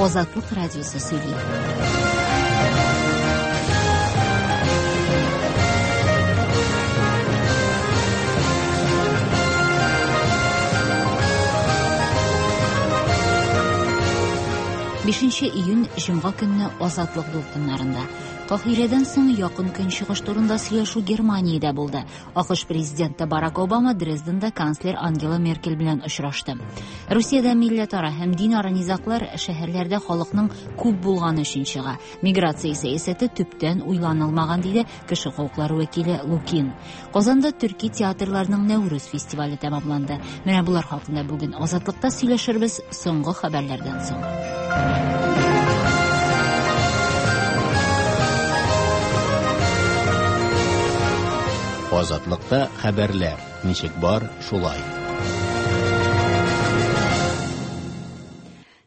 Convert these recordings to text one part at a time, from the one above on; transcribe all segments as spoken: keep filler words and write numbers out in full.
Азатлык радиосы сөйли. Бишенче июнь җомга көнне Азатлык дулкыннарында. Каһирәдән соң Якын Көнчыгыш турында сөйләшү Германиядә булды. АКШ президенты Барак Обама Дрезденда канцлер Ангела Меркель белән очрашты. Русиядә милләтара һәм динара низаглар шәһәрләрдә халыкның күп булганы өчен чыга. Миграция сәясәте төптән уйланылмаган, диде кеше хокуклары вәкиле Лукин. Казанда төрки театрларның Нәүрүз фестивале тәмамланды. Менә булар хакында бүген Азатлыкта сөйләшербез соңгы хәбәрләрдән соң. Азатлыкта хәбәрләр ничек бар, шулай.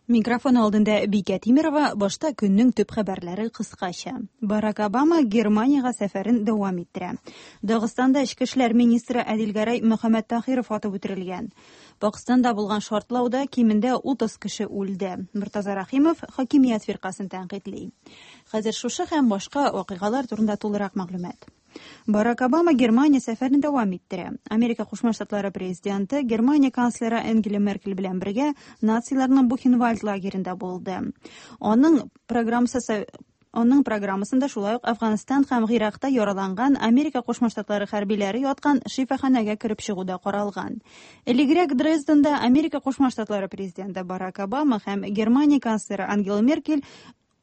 Микрофон алдында Бикә Тимирова, башта көннең төп хәбәрләре кыскача. Барак Обама Германиягә сәфәрен дәвам иттерә. Дагыстанда эчке эшләр министры Әдилгәрәй Мөхәммәттахиров атып үтерелгән. Пакистанда булган шартлауда кимендә утыз кеше үлде. Мортаза Рахимов хакимият фиркасын тәнкыйтьли. Хәзер шушы һәм башка вакыйгалар турында тулырак мәгълүмат. Барак Обама Германия сәфәрен дәвам иттерә. Америка Кушма Штатлары президенты Германия канцлеры Ангела Меркель белән бергә нациларның Бухенвальд лагеренда булды. Аның программасы Аның программасында шулай ук Афганстан һәм Гыйракта яраланган Америка Кушма Штатлары хәрбиләре яткан шифаханәгә кереп чыгу да каралган. Элегрәк Дрезденда Америка Кушма Штатлары президенты Барак Обама һәм Германия канцлеры Ангела Меркель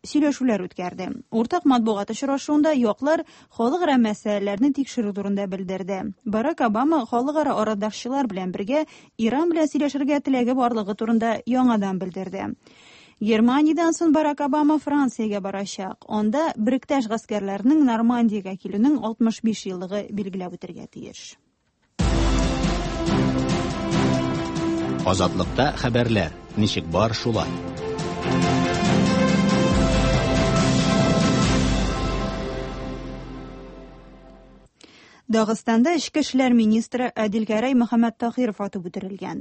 сөйләшүләр үткәрде. Уртак матбугат очрашуында яклар халыкара мәсьәләләрне тикшерү турында белдерде. Барак Обама халыкара арадашчылар белән бергә Иран белән сөйләшергә теләге барлыгы турында яңадан белдерде. Германиядән соң Барак Обама Франциягә барачак. Анда Бректәш гаскәрләренең Нормандиягә килүнең алтмыш биш еллыгы билгеләп үтергә тиеш. Азатлыкта хәбәрләр ничек бар, шулай. Дагыстанда эчке эшләр министры Әдилгәрәй Мөхәммәттахиров атып үтерелгән.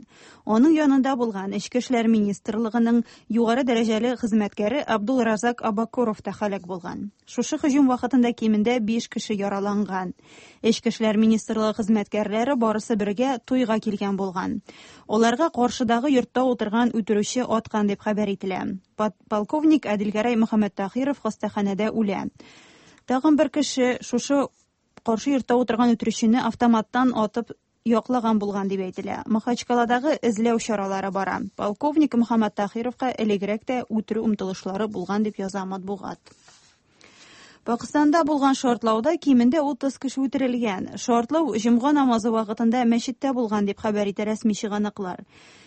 Аның янында булган эчке эшләр министрлыгының югары дәрәҗәле хезмәткәре Абдулразак Абакуров та һәлак булган. Шушы һөҗүм вакытында кимендә биш кеше яраланган. Эчке эшләр министрлыгы хезмәткәрләре барысы бергә туйга килгән булган. Аларга каршыдагы йортта утырган үтерүче аткан дип хәбәр ителә. Полковник Әдилгәрәй Мөхәммәттахиров хастаханәдә үлә. Тагын бер кеше шушы каршы йортта утырган үтерүчене автоматтан атып яклаган булган дип әйтелә. Махачкаладагы эзләү чаралары бара. Полковник Мөхәммәттахировка элегрәк тә үтерү омтылышлары булган дип яза матбугат. Пакистанда булган шартлауда кимендә утыз кеше үтерелгән. Шартлау җомга намазы вакытында мәчеттә булган дип хәбәр итә рәсми чыганаклар.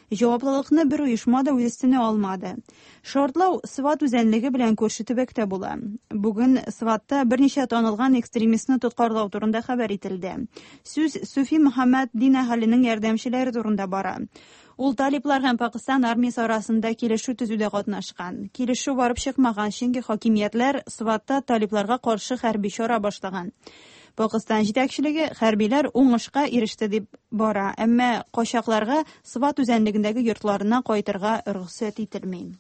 Җаваплылыкны бер оешма да үз өстенә алмады. Шартлау Сват үзәнлеге белән күрше төбәктә була. Бүген Сватта берничә танылган экстремистны тоткарлау турында хәбәр ителде. Сүз Суфи Мөхәммәд дин әһеленең ярдәмчеләре турында бара. Ул талиплар һәм Пакистан армиясе арасында килешү төзүдә катнашкан. Килешү барып чыкмаган, чөнки хакимиятләр Сватта талипларга каршы хәрби чара башлаган. Пакистан җитәкчелеге хәрбиләр уңышка иреште дип бара, әмма качакларга Сват үзәнлегендәге йортларына кайтырга рөхсәт ителми.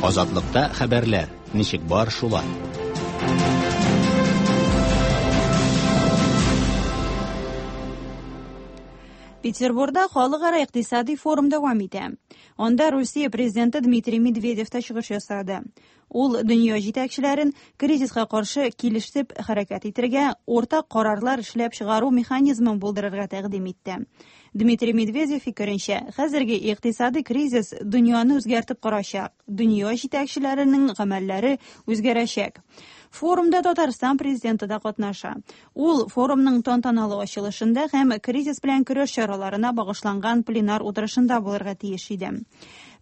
Азатлыкта хәбәрләр ничек бар, шулай. Петербургда халыкара икътисади форум дәвам итә. Анда Русия президенты Дмитрий Медведев та чыгыш ясады. Ул дөнья җитәкчеләрен кризиска каршы килешеп хәрәкәт итәргә, уртак карарлар эшләп чыгару механизмын булдырырга тәкъдим итте. Дмитрий Медведев фикеренчә, хәзерге икътисади кризис дөньяны үзгәртеп корачак, дөнья җитәкчеләренең гамәлләре үзгәрәчәк. Форумда Татарстан президенты да катнаша. Ул форумның тантаналы ачылышында һәм кризис белән көрәш чараларына багышланган пленар утырышында булырга тиеш иде.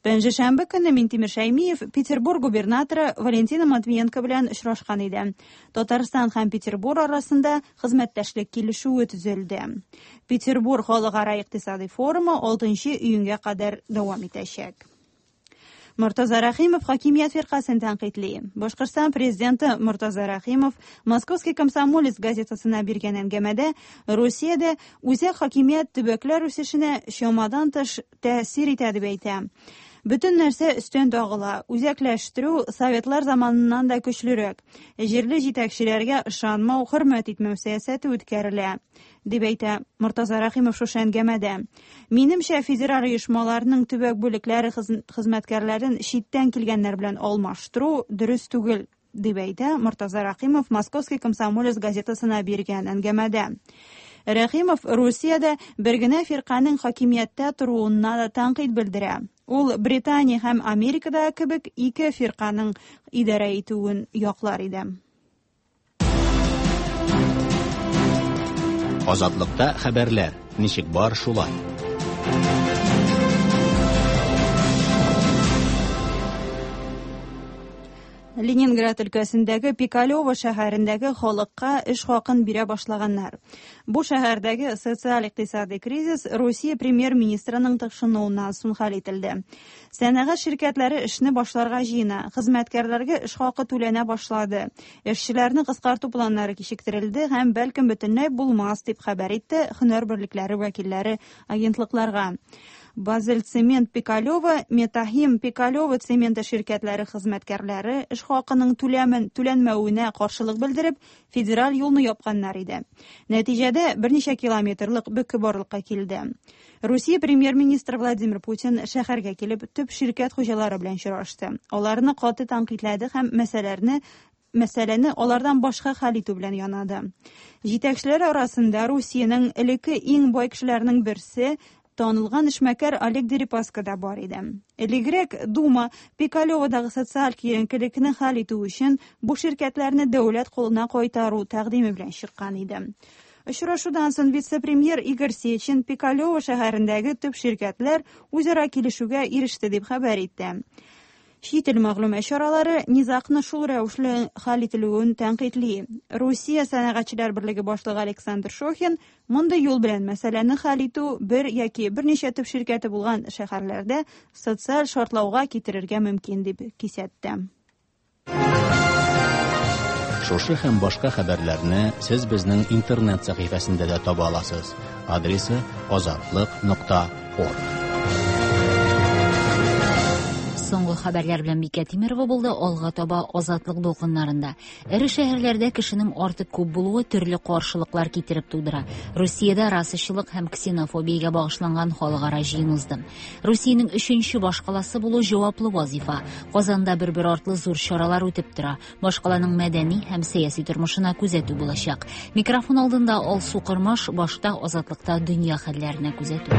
Пәнҗешәмбе көнне Минтимер Шәймиев Петербург губернаторы Валентина Матвиенко белән очрашкан иде. Татарстан һәм Петербург арасында хезмәттәшлек килешүе төзелде. Петербург халыкара икътисади форумы алтынчы июньгә кадәр дәвам итәчәк. Мортаза Рахимов хакимият фиркасын тәнкыйтьли. Башкортстан президенты Мортаза Рахимов «Московский комсомолец» газетасына биргән әңгәмәдә Русиядә үзәк хакимият төбәкләр үсешенә чамадан тыш тәэсир итә дип әйтә. Бөтен нәрсә өстән тагыла. Үзәкләштерү советлар заманыннан да көчлерәк. Җирле җитәкчеләргә ышанмау, хөрмәт итмәү сәясәте үткәрелә, дип әйтә Мортаза Рахимов шушы әңгәмәдә. Минемчә, федераль оешмаларның төбәк бүлекләре хезмәткәрләрен читтән килгәннәр белән алмаштыру дөрес түгел, дип әйтә Мортаза Рахимов «Московский комсомолец» газетасына биргән әңгәмәдә. Рахимов Русиядә бер генә фирканең хакимияттә торуына да тәнкыйть белдерә. Ул Британия һәм Америкада кебек ике фирканың идарә итүен яклар иде. Азатлыкта хәбәрләр ничек бар шулай. Ленинград өлкәсендәге Пикалево шәһәрендәге халыкка эш хакын бирә башлаганнар. Бу шәһәрдәге социаль-икътисади кризис Русия премьер-министрының тыкшынуыннан соң хәл ителде. Сәнәгать ширкәтләре эшне башларга җыена, хезмәткәрләргә эш хакы түләнә башлады. Эшчеләрне кыскарту планнары кичектерелде һәм бәлкем бөтенләй булмас дип хәбәр итте һөнәр берлекләре вәкилләре агентлыкларга. Базель цемент Пикалево, Метахим Пикалево цементы ширкәтләре хезмәткәрләре эш хакының түләмен түләнмәвенә каршылык белдереп, федераль юлны япканнар иде. Нәтиҗәдә берничә километрлык бөке барлыкка килде. Русия премьер-министры Владимир Путин шәһәргә килеп төп ширкәт хуҗалары белән очрашты. Аларны каты тәнкыйтьләде һәм мәсьәләләрне Мәсьәләне алардан башка хәл итү белән янады. Җитәкчеләр арасында Русиянең элекке иң бай кешеләренең берсе танылган эшмәкәр Олег Дерипаска да бар иде. Элегрәк Дума Пикалеводагы социаль киеренкелекне хәл итү өчен бу ширкәтләрне дәүләт кулына кайтару тәкъдиме белән чыккан иде. Очрашудан соң вице-премьер Игорь Сечин Пикалево шәһәрендәге төп ширкәтләр үзара килешүгә иреште дип хәбәр итте. Чит ил мәгълүмат чаралары низагны шул рәвешле хәл ителүен тәнкыйтьли. Русия сәнәгатьчеләр берлеге башлыгы Александр Шохин мондый юл белән мәсьәләне хәл итү бер яки берничә төп ширкәте булган шәһәрләрдә социаль шартлауга китерергә мөмкин дип кисәтте. Шушы һәм башка хәбәрләрне сез безнең интернет сәхифәсендә дә таба аласыз. Адресы азатлык нокта орг. Соңгы хәбәрләр белән Бикә Тимирова булды. Алга таба Азатлык дулкыннарында. Эре шәһәрләрдә кешенең артык күп булуы төрле каршылыклар китереп тудыра. Русиядә расачылык һәм ксенофобиягә багышланган халыкара җыен узды. Русиянең өченче башкаласы булу җаваплы вазифа. Казанда бер-бер артлы зур чаралар үтеп тора. Башкаланың мәдәни һәм сәяси тормышына күзәтү булачак. Микрофон алдында Алсу Кырмаш, башта Азатлыкта дөнья хәлләренә күзәтү.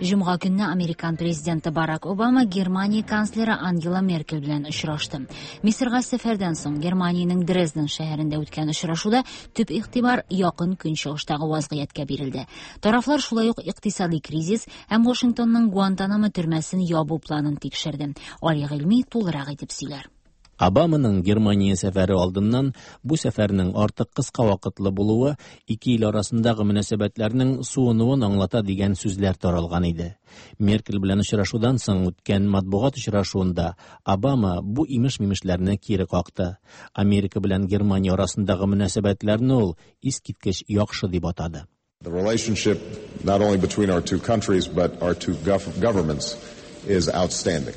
Җомга көнне Американ президенты Барак Обама Германия канцлеры Ангела Меркель белән очрашты. Мисырга сәфәрдән соң Германиянең Дрезден шәһәрендә үткән очрашуда төп игътибар якын көнчыгыштагы вазгыятькә бирелде. Тарафлар шулай ук икътисади кризис һәм Вашингтонның Гуантанамо төрмәсен ябу планын тикшерде. Али Гыйльми тулырак итеп сөйләр. Обаманың Германия сәфәре алдыннан бу сәфәрнең артык кыска вакытлы булуы ике ил арасындагы мөнәсәбәтләрнең суынуын аңлата дигән сүзләр таралган иде. Меркель белән очрашудан соң үткән матбугат очрашуында Обама бу имеш-мимешләрне кире какты. Америка белән Германия арасындагы мөнәсәбәтләрне ул искиткеч яхшы дип атады. The relationship not only between our two countries but our two governments is outstanding.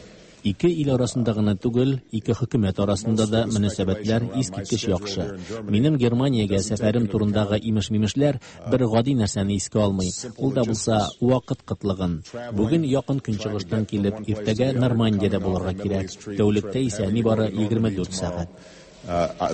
Ике ил арасында гына түгел, ике хөкүмәт арасында да мөнәсәбәтләр искиткеч яхшы. Минем Германиягә сәфәрем турындагы имеш-мимешләр бер гади нәрсәне искә алмый. Ул да булса вакыт кытлыгын. Бүген якын көнчыгыштан килеп, иртәгә Нормандиядә булырга кирәк. Тәүлектә исә нибары егерме дүрт сәгать.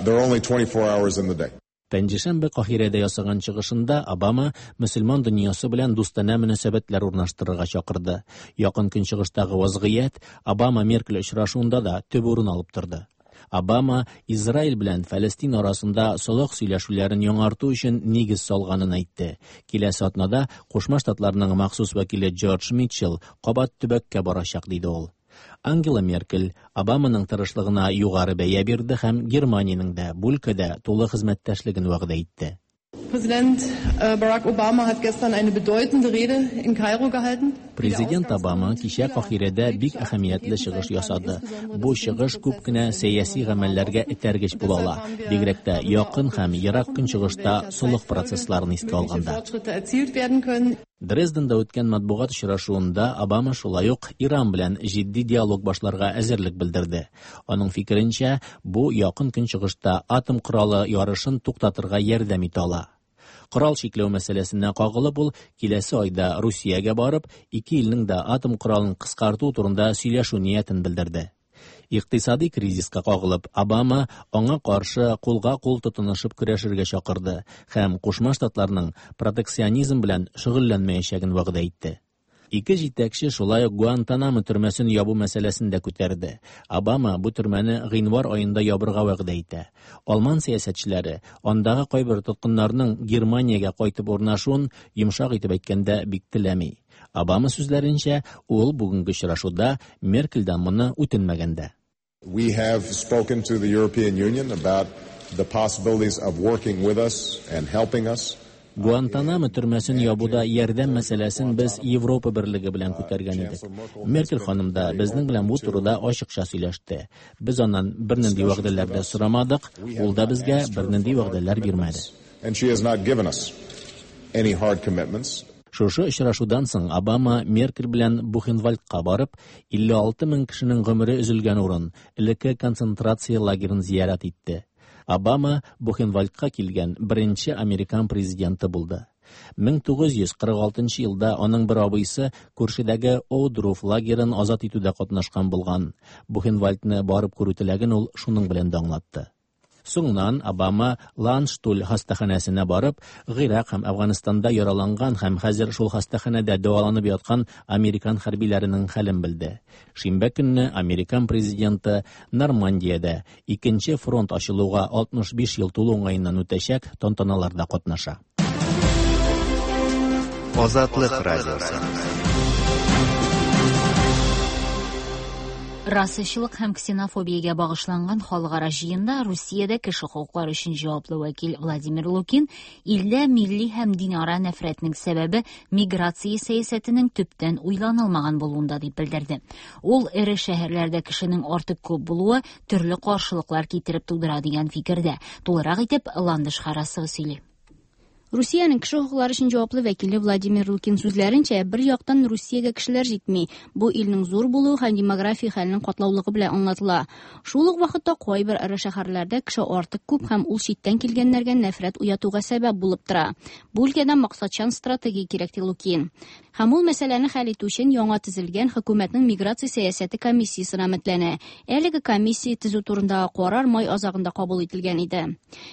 There are only twenty-four hours in the day. Пәнҗешәмбе Каһирәдә ясаган чыгышында Обама мөселман дөньясы белән дустанә мөнәсәбәтләр урнаштырырга чакырды. Якын көнчыгыштагы вазгыять Обама Меркель очрашуында да төп урын алып торды. Обама Израиль белән Фәлестин арасында солых сөйләшүләрен яңарту өчен нигез салганын әйтте. Киләсе атнада Кушма Штатларның махсус вәкиле Джордж Митчелл кабат төбәккә барачак диде ул. Ангела Меркель Обаманың тырышлыгына югары бәя бирде һәм Германиянең дә бу өлкәдә тулы хезмәттәшлеген вәгъдә итте. Präsident Barack Obama hat gestern eine bedeutende Rede in Kairo gehalten. Президент Обама кичә Каһирәдә бик әһәмиятле чыгыш ясады. Бу чыгыш күп кенә сәяси гамәлләргә этәргеч була ала, бигрәк тә якын һәм ерак көнчыгышта солых процессларын искә алганда. Дрезденда үткән матбугат очрашуында Обама шулай ук Иран белән җитди диалог башларга әзерлек белдерде. Аның фикеренчә, бу якын көнчыгышта атом коралы ярышын туктатырга ярдәм итә ала. Корал чикләү мәсьәләсенә кагылып, ул киләсе айда Русиягә барып, ике илнең дә атом коралын кыскарту турында сөйләшү ниятен белдерде. Икътисади кризиска кагылып, Обама аңа каршы кулга-кул тотынышып көрәшергә чакырды һәм Кушма Штатларның протекционизм белән шөгыльләнмәячәген вәгъдә итте. Ике җитәкче шулай ук Гуантанамо төрмәсен ябу мәсьәләсен дә күтәрде. Обама бу төрмәне гыйнвар аенда ябырга вәгъдә итә. Алман сәясәтчеләре андагы кайбер тоткыннарның Германиягә кайтып урнашуын йомшак итеп әйткәндә бик теләми. Обама сүзләренчә, ул бүгенге очрашуда Меркельдән моны үтенмәгән дә. We have spoken to the European Union about the possibilities of working with us and helping us. Гуантанамо төрмәсен ябуда ярдәм мәсьәләсен без Европа берлеге белән күтәргән идек. Меркель ханым да безнең белән бу турыда ачыкча сөйләште. Без аннан бернинди вәгъдәләр дә сорамадык, ул да безгә бернинди вәгъдәләр бирмәде. And she has not given us any hard commitments. Шушы очрашудан соң Обама Меркель белән Бухенвальдка барып, илле алты мең кешенең гомере өзелгән урын, элекке концентрация лагерын зиярат итте. Обама Бухенвальдка килгән беренче американ президенты булды. мең тугыз йөз кырык алтынчы елда аның бер абыйсы күршедәге Оудруф лагерын азат итүдә катнашкан булган. Бухенвальдны барып күрү теләген ул шуның белән дә аңлатты. Соңыннан Обама Ланштуль хастаханәсенә барып, Гыйрак һәм Афганистанда яраланган һәм хәзер шул хастаханәдә дәваланып яткан американ хәрбиләренең хәлен белде. Шимбә көнне американ президенты Нормандиядә икенче фронт ачылуга алтмыш биш ел тулу уңаеннан үтәчәк тантаналарда катнаша. Азатлык радиосы. Расачылык һәм ксенофобиягә багышланган халыкара җыенда Русиядә кеше хокуклары өчен җаваплы вәкил Владимир Лукин илдә милли һәм динара нәфрәтнең сәбәбе миграция сәясәтенең төптән уйланылмаган булуында дип белдерде. Ул эре шәһәрләрдә кешенең артык күп булуы төрле каршылыклар китереп тудыра дигән фикердә. Тулырак итеп Ландыш Харасова сөйли. Русиянең кеше хокуклары өчен җаваплы вәкиле Владимир Лукин сүзләренчә, бер яктан Русиягә кешеләр җитми. Бу илнең зур булуы һәм демография хәленең катлаулыгы белән аңлатыла. Шул ук вакытта кайбер эре шәһәрләрдә кеше артык күп һәм ул читтән килгәннәргә нәфрәт уятуга сәбәп булып тора. Бу өлкәдә максатчан стратегия кирәк, ди Лукин. Һәм ул мәсьәләне хәл итү өчен яңа төзелгән хөкүмәтнең миграция сәясәте комиссиясенә өметләнә. Әлеге комиссия төзү турындагы карар май азагында кабул ителгән иде.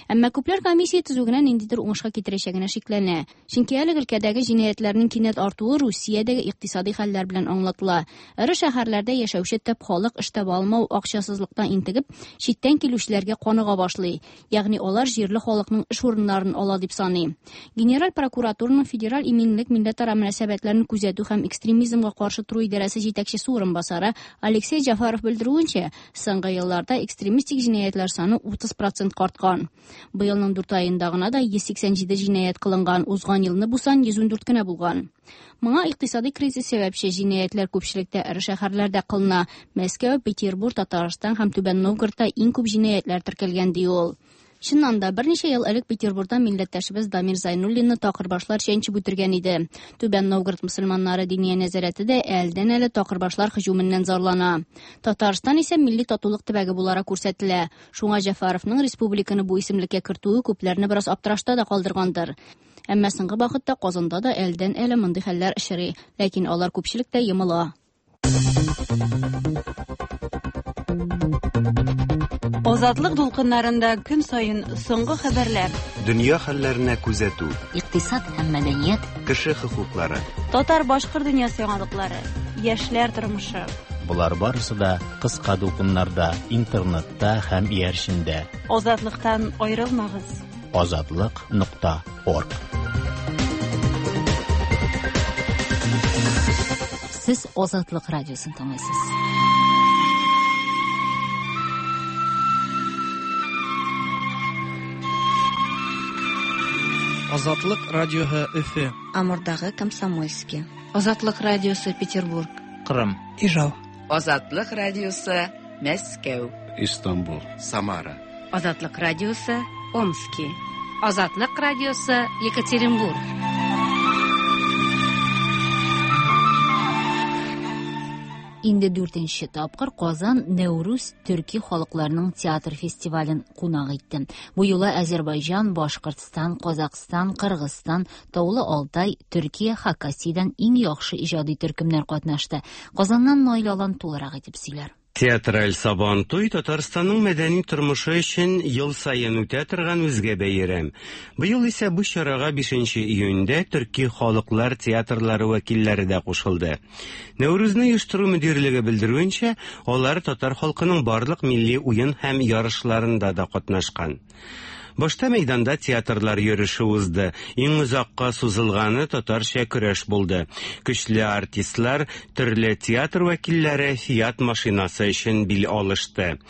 Әмма күпләр комиссия төзү генә ниндидер уңышка китерәчәгенә шикләнә. Чөнки әлеге өлкәдәге җинаятьләрнең кинәт артуы Русиядәге икътисади хәлләр белән аңлатыла. Эре шәһәрләрдә яшәүче төп халык эш таба алмау, акчасызлыктан интегеп, читтән килүчеләргә каныга башлый. Ягъни алар җирле халыкның эш урыннарын ала дип саный. Генераль прокуратураның федераль иминлек милләтара мөнәсәбәтләрен күзәтү һәм экстремизмга каршы тору идарәсе җитәкчесе урынбасары Алексей Джафаров белдерүенчә, соңгы елларда экстремистик җинаятьләр саны утыз процентка арткан. Быелның дүрт аенда гына да йөз сиксән җиде җинаять кылынган, узган елны бу сан йөз ундүрт кенә булган. Моңа икътисади кризис сәбәпче. Җинаятьләр күпчелектә эре шәһәрләрдә кылына. Мәскәү, Петербург, Татарстан һәм Түбән Новгородта иң күп җинаятьләр теркәлгән, ди ул. Чыннан да, берничә ел элек Петербургта милләттәшебез Дамир Зайнуллинны такырбашлар чәнчеп үтергән иде. Түбән Новгород мөселманнары диния нәзарәте дә әлдән-әле такырбашлар һөҗүменнән зарлана. Татарстан исә милли татулык төбәге буларак күрсәтелә. Шуңа Җәфаровның республиканы бу исемлеккә кертүе күпләрне бераз аптырашта да калдыргандыр. Әмма соңгы вакытта Казанда да әлдән-әле мондый хәлләр очрый, ләкин алар күпчелектә йомыла. Азатлык дулкыннарында көн саен соңгы хәбәрләр, дөнья хәлләренә күзәтү, икътисад һәм мәдәният, кеше хокуклары, татар-башкорт дөньясы яңалыклары, яшьләр тормышы. Болар барысы да кыска дулкыннарда, интернетта һәм иярчендә. Азатлыктан аерылмагыз. Азатлык нокта орг. Сез Азатлык радиосын тыңлыйсыз. Азатлык радиоһы Өфө. Амурдагы Комсомольский. Азатлык радиосы Петербург. Кырым. Ижау. Азатлык радиосы Мәскәү. Истанбул. Самара. Азатлык радиосы Омски. Азатлык радиосы Екатеринбург. Инде дүртенче тапкыр Казан Нәүрүз төрки халыкларының театр фестивален кунак итте. Бу юлы Азербайҗан, Башкортстан, Казакъстан, Кыргызстан, Таулы Алтай, Төркия, Хакасиядән иң яхшы иҗади төркемнәр катнашты. Казаннан Наил Алан тулырак итеп сөйләр. Театраль Сабантуй Татарстанның мәдәни тормышы өчен ел саен үтә торган үзгә бәйрәм. Быел исә бу чарага бишенче июньдә төрки халыклар театрлары вәкилләре дә кушылды. Нәүрүзне оештыру мөдирлеге белдерүенчә, алар татар халкының барлык милли уен һәм ярышларында да катнашкан. Башта мәйданда театрлар йөреше узды. Иң озакка сузылганы татарча көрәш булды. Көчле артистлар, төрле театр вәкилләре Фиат машинасы өчен бил алышты.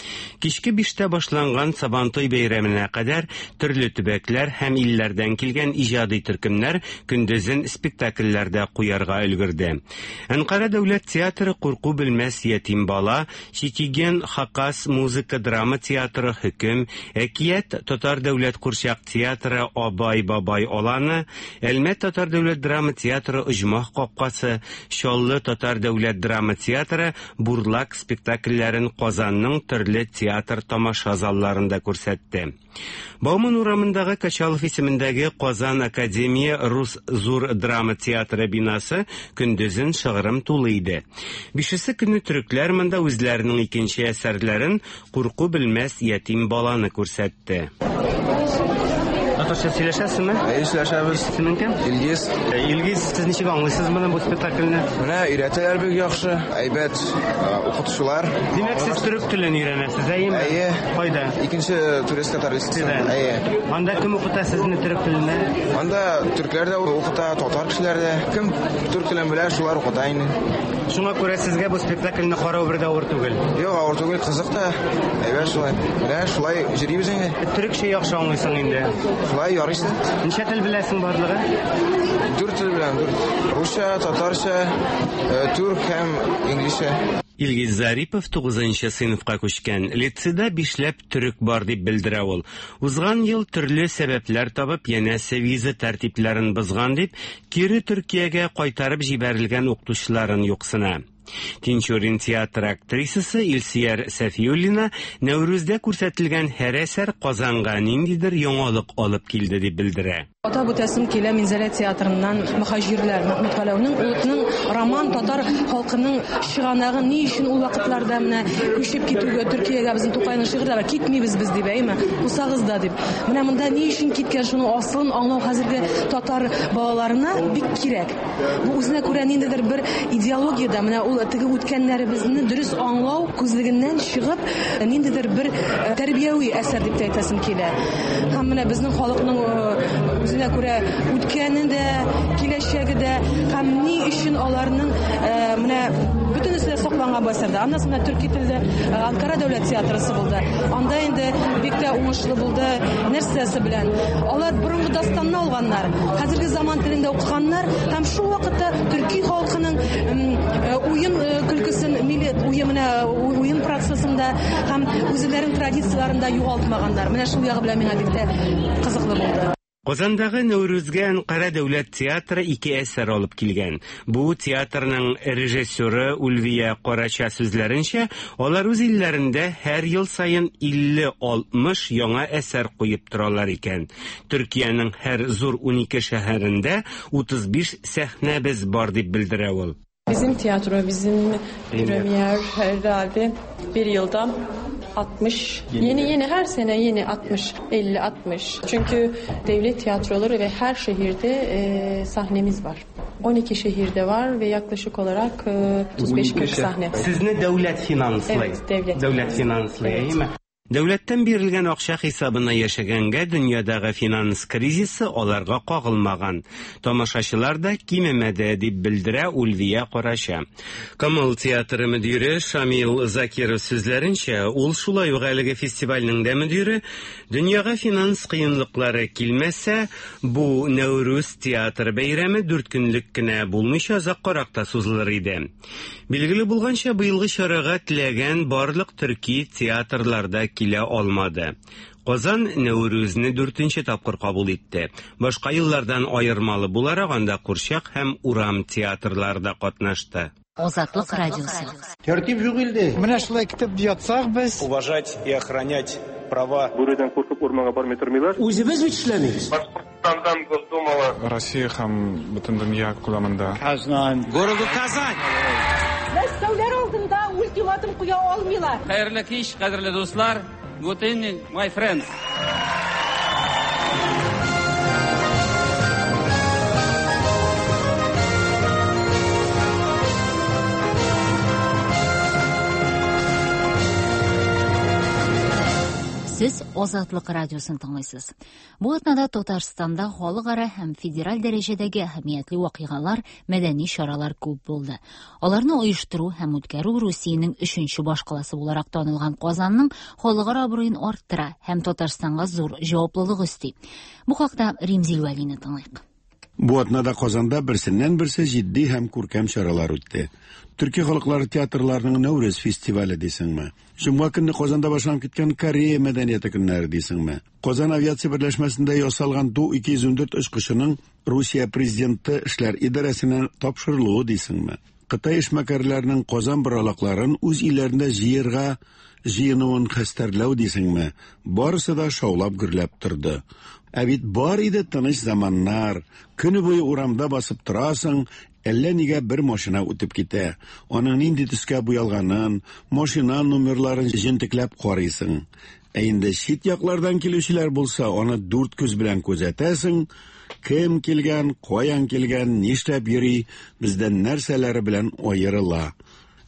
Кичке биштә башланган Сабантуй бәйрәменә кадәр төрле төбәкләр һәм илләрдән килгән иҗади төркемнәр көндезен спектакльләрдә куярга өлгерде. Әнкара дәүләт театры Курку белмәс ятим бала, Читиген Хакас музыка драма театры Хөкем, Әкият татар дәүләт курчак театры Абай бабай аланы, Әлмәт татар дәүләт драма театры Оҗмах капкасы, Чаллы татар дәүләт драма театры Бурлак спектакльләрен Казанның төрле театр тамаша залларында күрсәтте. Бауман урамындагы Качалов исемендәге Казан академия рус зур драма театры бинасы көндезен шыгрым тулы иде. Бишесе көне төрекләр монда үзләренең икенче әсәрләрен Курку белмәс ятим баланы күрсәтте. Татарча сөйләшәсезме? Әйе, сөйләшәбез. Исемең кем? Илгиз. Илгиз, сез ничек аңлыйсыз моны бу спектакльне? Менә өйрәтәләр бик яхшы, әйбәт укытучылар. Димәк, сез төрек телен өйрәнәсез, әйеме? Әйе. Кайда? Икенче турист татар лицейында. Әйе. Анда кем укыта сезне төрек теленә? Анда төркләр дә укыта, татар кешеләр дә. Кем төрек телен белә, шулар укыта инде. Шуңа күрә сезгә бу спектакльне карау бер дә авыр түгел. Юк, авыр түгел, кызык та. Әйбәт шулай. Менә шулай йөрибез инде. Төрекчә яхшы аңлыйсың инде. Шулай ярыйсы. Ничә тел беләсең барлыгы? Дүрт тел беләм, дүрт. Русча, татарча, түрк һәм инглизчә. Илгиз Зарипов тугызынчы сыйныфка күчкән. Лицейда бишләп төрек бар дип белдерә ул. Узган ел төрле сәбәпләр табып, янәсе виза тәртипләрен бозган дип, кире Төркиягә кайтарып җибәрелгән укытучыларын юксына. Тинчурин театр актрисасы Илсияр Сәфиуллина Нәүрүздә күрсәтелгән һәр әсәр Казанга ниндидер яңалык алып килде дип белдерә. Атап үтәсем килә Минзәлә театрыннан Мөхаҗирләр Мәхмүт Галәүнең улының роман татар халкының чыганагы ни өчен ул вакытларда менә күчеп китүгә Төркиягә безнең Тукайның шигырьләре китмибез без дип, әйме? Кусагыз да дип. Менә монда ни өчен киткән шуның асылын аңлау хәзерге татар балаларына бик кирәк. Бу үзенә күрә ниндидер бер идеологияда менә ул теге үткәннәребезне дөрес аңлау күзлегеннән чыгып ниндидер бер тәрбияви әсәр дип тә әйтәсем килә. Һәм менә безнең халыкның үзенә күрә үткәне дә, киләчәге дә һәм ни өчен аларның менә бөтенесе дә сакланган бу әсәрдә. Аннан соң төрки телдә Анкара дәүләт театрысы булды. Анда инде бик тә уңышлы булды. Нәрсәсе белән? Алар борынгы дастанны алганнар, хәзерге заман телендә укыганнар һәм шул вакытта төрки халкының уен көлкесен, милли уен уен процессында һәм үзләренең традицияләрен дә югалтмаганнар. Менә шул ягы белән миңа бик тә кызыклы булды. Казандагы Нәүрүзгә Әнкара дәүләт театры ике әсәр алып килгән. Бу театрның режиссеры Ульвия Карача сүзләренчә, алар үз илләрендә һәр ел саен илле алтмыш яңа әсәр куеп торалар икән. Төркиянең һәр зур унике шәһәрендә утыз биш сәхнәбез бар дип белдерә ул. Bizim tiyatro, bizim premier herhalde bir yılda altmış. Yeni, yeni yeni her sene yeni altmış, elli, altmış. Çünkü devlet tiyatroları ve her şehirde e, sahnemiz var. on iki şehirde var ve yaklaşık olarak e, otuz beş kırk sahne. Siz ne devlet finanslıyı? Evet, devlet. Devlet finanslıyı, evet. Değil mi? Дәүләттән бирелгән акча хисабына яшәгәнгә дөньядагы финанс кризисы аларга кагылмаган. Тамашачылар да кимемәде, дип белдерә Ульвия Карача. Камал театры мөдире Шамил Закиров сүзләренчә, ул шулай ук әлеге фестивальнең дә мөдире, дөньяга финанс кыенлыклары килмәсә, бу Нәүрүз театр бәйрәме дүрт көнлек кенә булмыйча озаккарак та сузылыр иде. Билгеле булганча, быелгы чарага теләгән барлык төрки театрларда килә алмады. Казан Нәүрүзне дүртенче тапкыр кабул итте. Башка еллардан аермалы буларак анда курчак һәм урам театрлары да катнашты. Азатлык радиосы. Тәртип юк илде. Менә шулай көтеп ятсак без. Уважать и охранять права. Бүредән куркып урманга бармый тормыйлар. Үзебез бит эшләмибез. Башкортстандан Госдумага. Россия һәм бөтен дөнья күләмендә. Казан. Городу Казань. Мәскәүләр алдында ультиматум куя алмыйлар. Хәерле кич, кадерле дуслар. Good evening, my friends. Сез Азатлык радиосын тыңлыйсыз. Бу атнада Татарстанда халыкара һәм федераль дәрәҗәдәге әһәмиятле вакыйгалар, мәдәни чаралар күп булды. Аларны оештыру һәм үткәрү Русиянең өченче башкаласы буларак танылган Казанның халыкара абруен арттыра һәм Татарстанга зур җаваплылык өсти. Бу хакта Римзил Вәлине тыңлыйк. Бу атнада Казанда берсеннән берсе җитди һәм күркәм чаралар үтте. Төрки халыклары театрларының Нәүрүз фестивале дисеңме? Җомга көнне Казанда башланып киткән Корея мәдәнияте көннәре дисеңме? Казан авиация берләшмәсендә ясалган Ту ике йөз ун дүрт очкычының Русия президенты эшләр идарәсенә тапшырылуы дисеңме? Кытай эшмәкәрләренең Казан боралакларын үз илләрендә җыярга җыенуын хәстәрләү дисеңме? Барысы да шаулап гөрләп торды. Ә бит бар иде тыныч заманнар. Көне буе урамда басып торасың, әллә нигә бер машина үтеп китә. Аның нинди төскә буялганын, машина номерларын җентекләп карыйсың. Ә инде чит яклардан килүчеләр булса, аны дүрт күз белән күзәтәсең. Кем килгән, каян килгән, нишләп йөри, бездән нәрсәләре белән аерыла.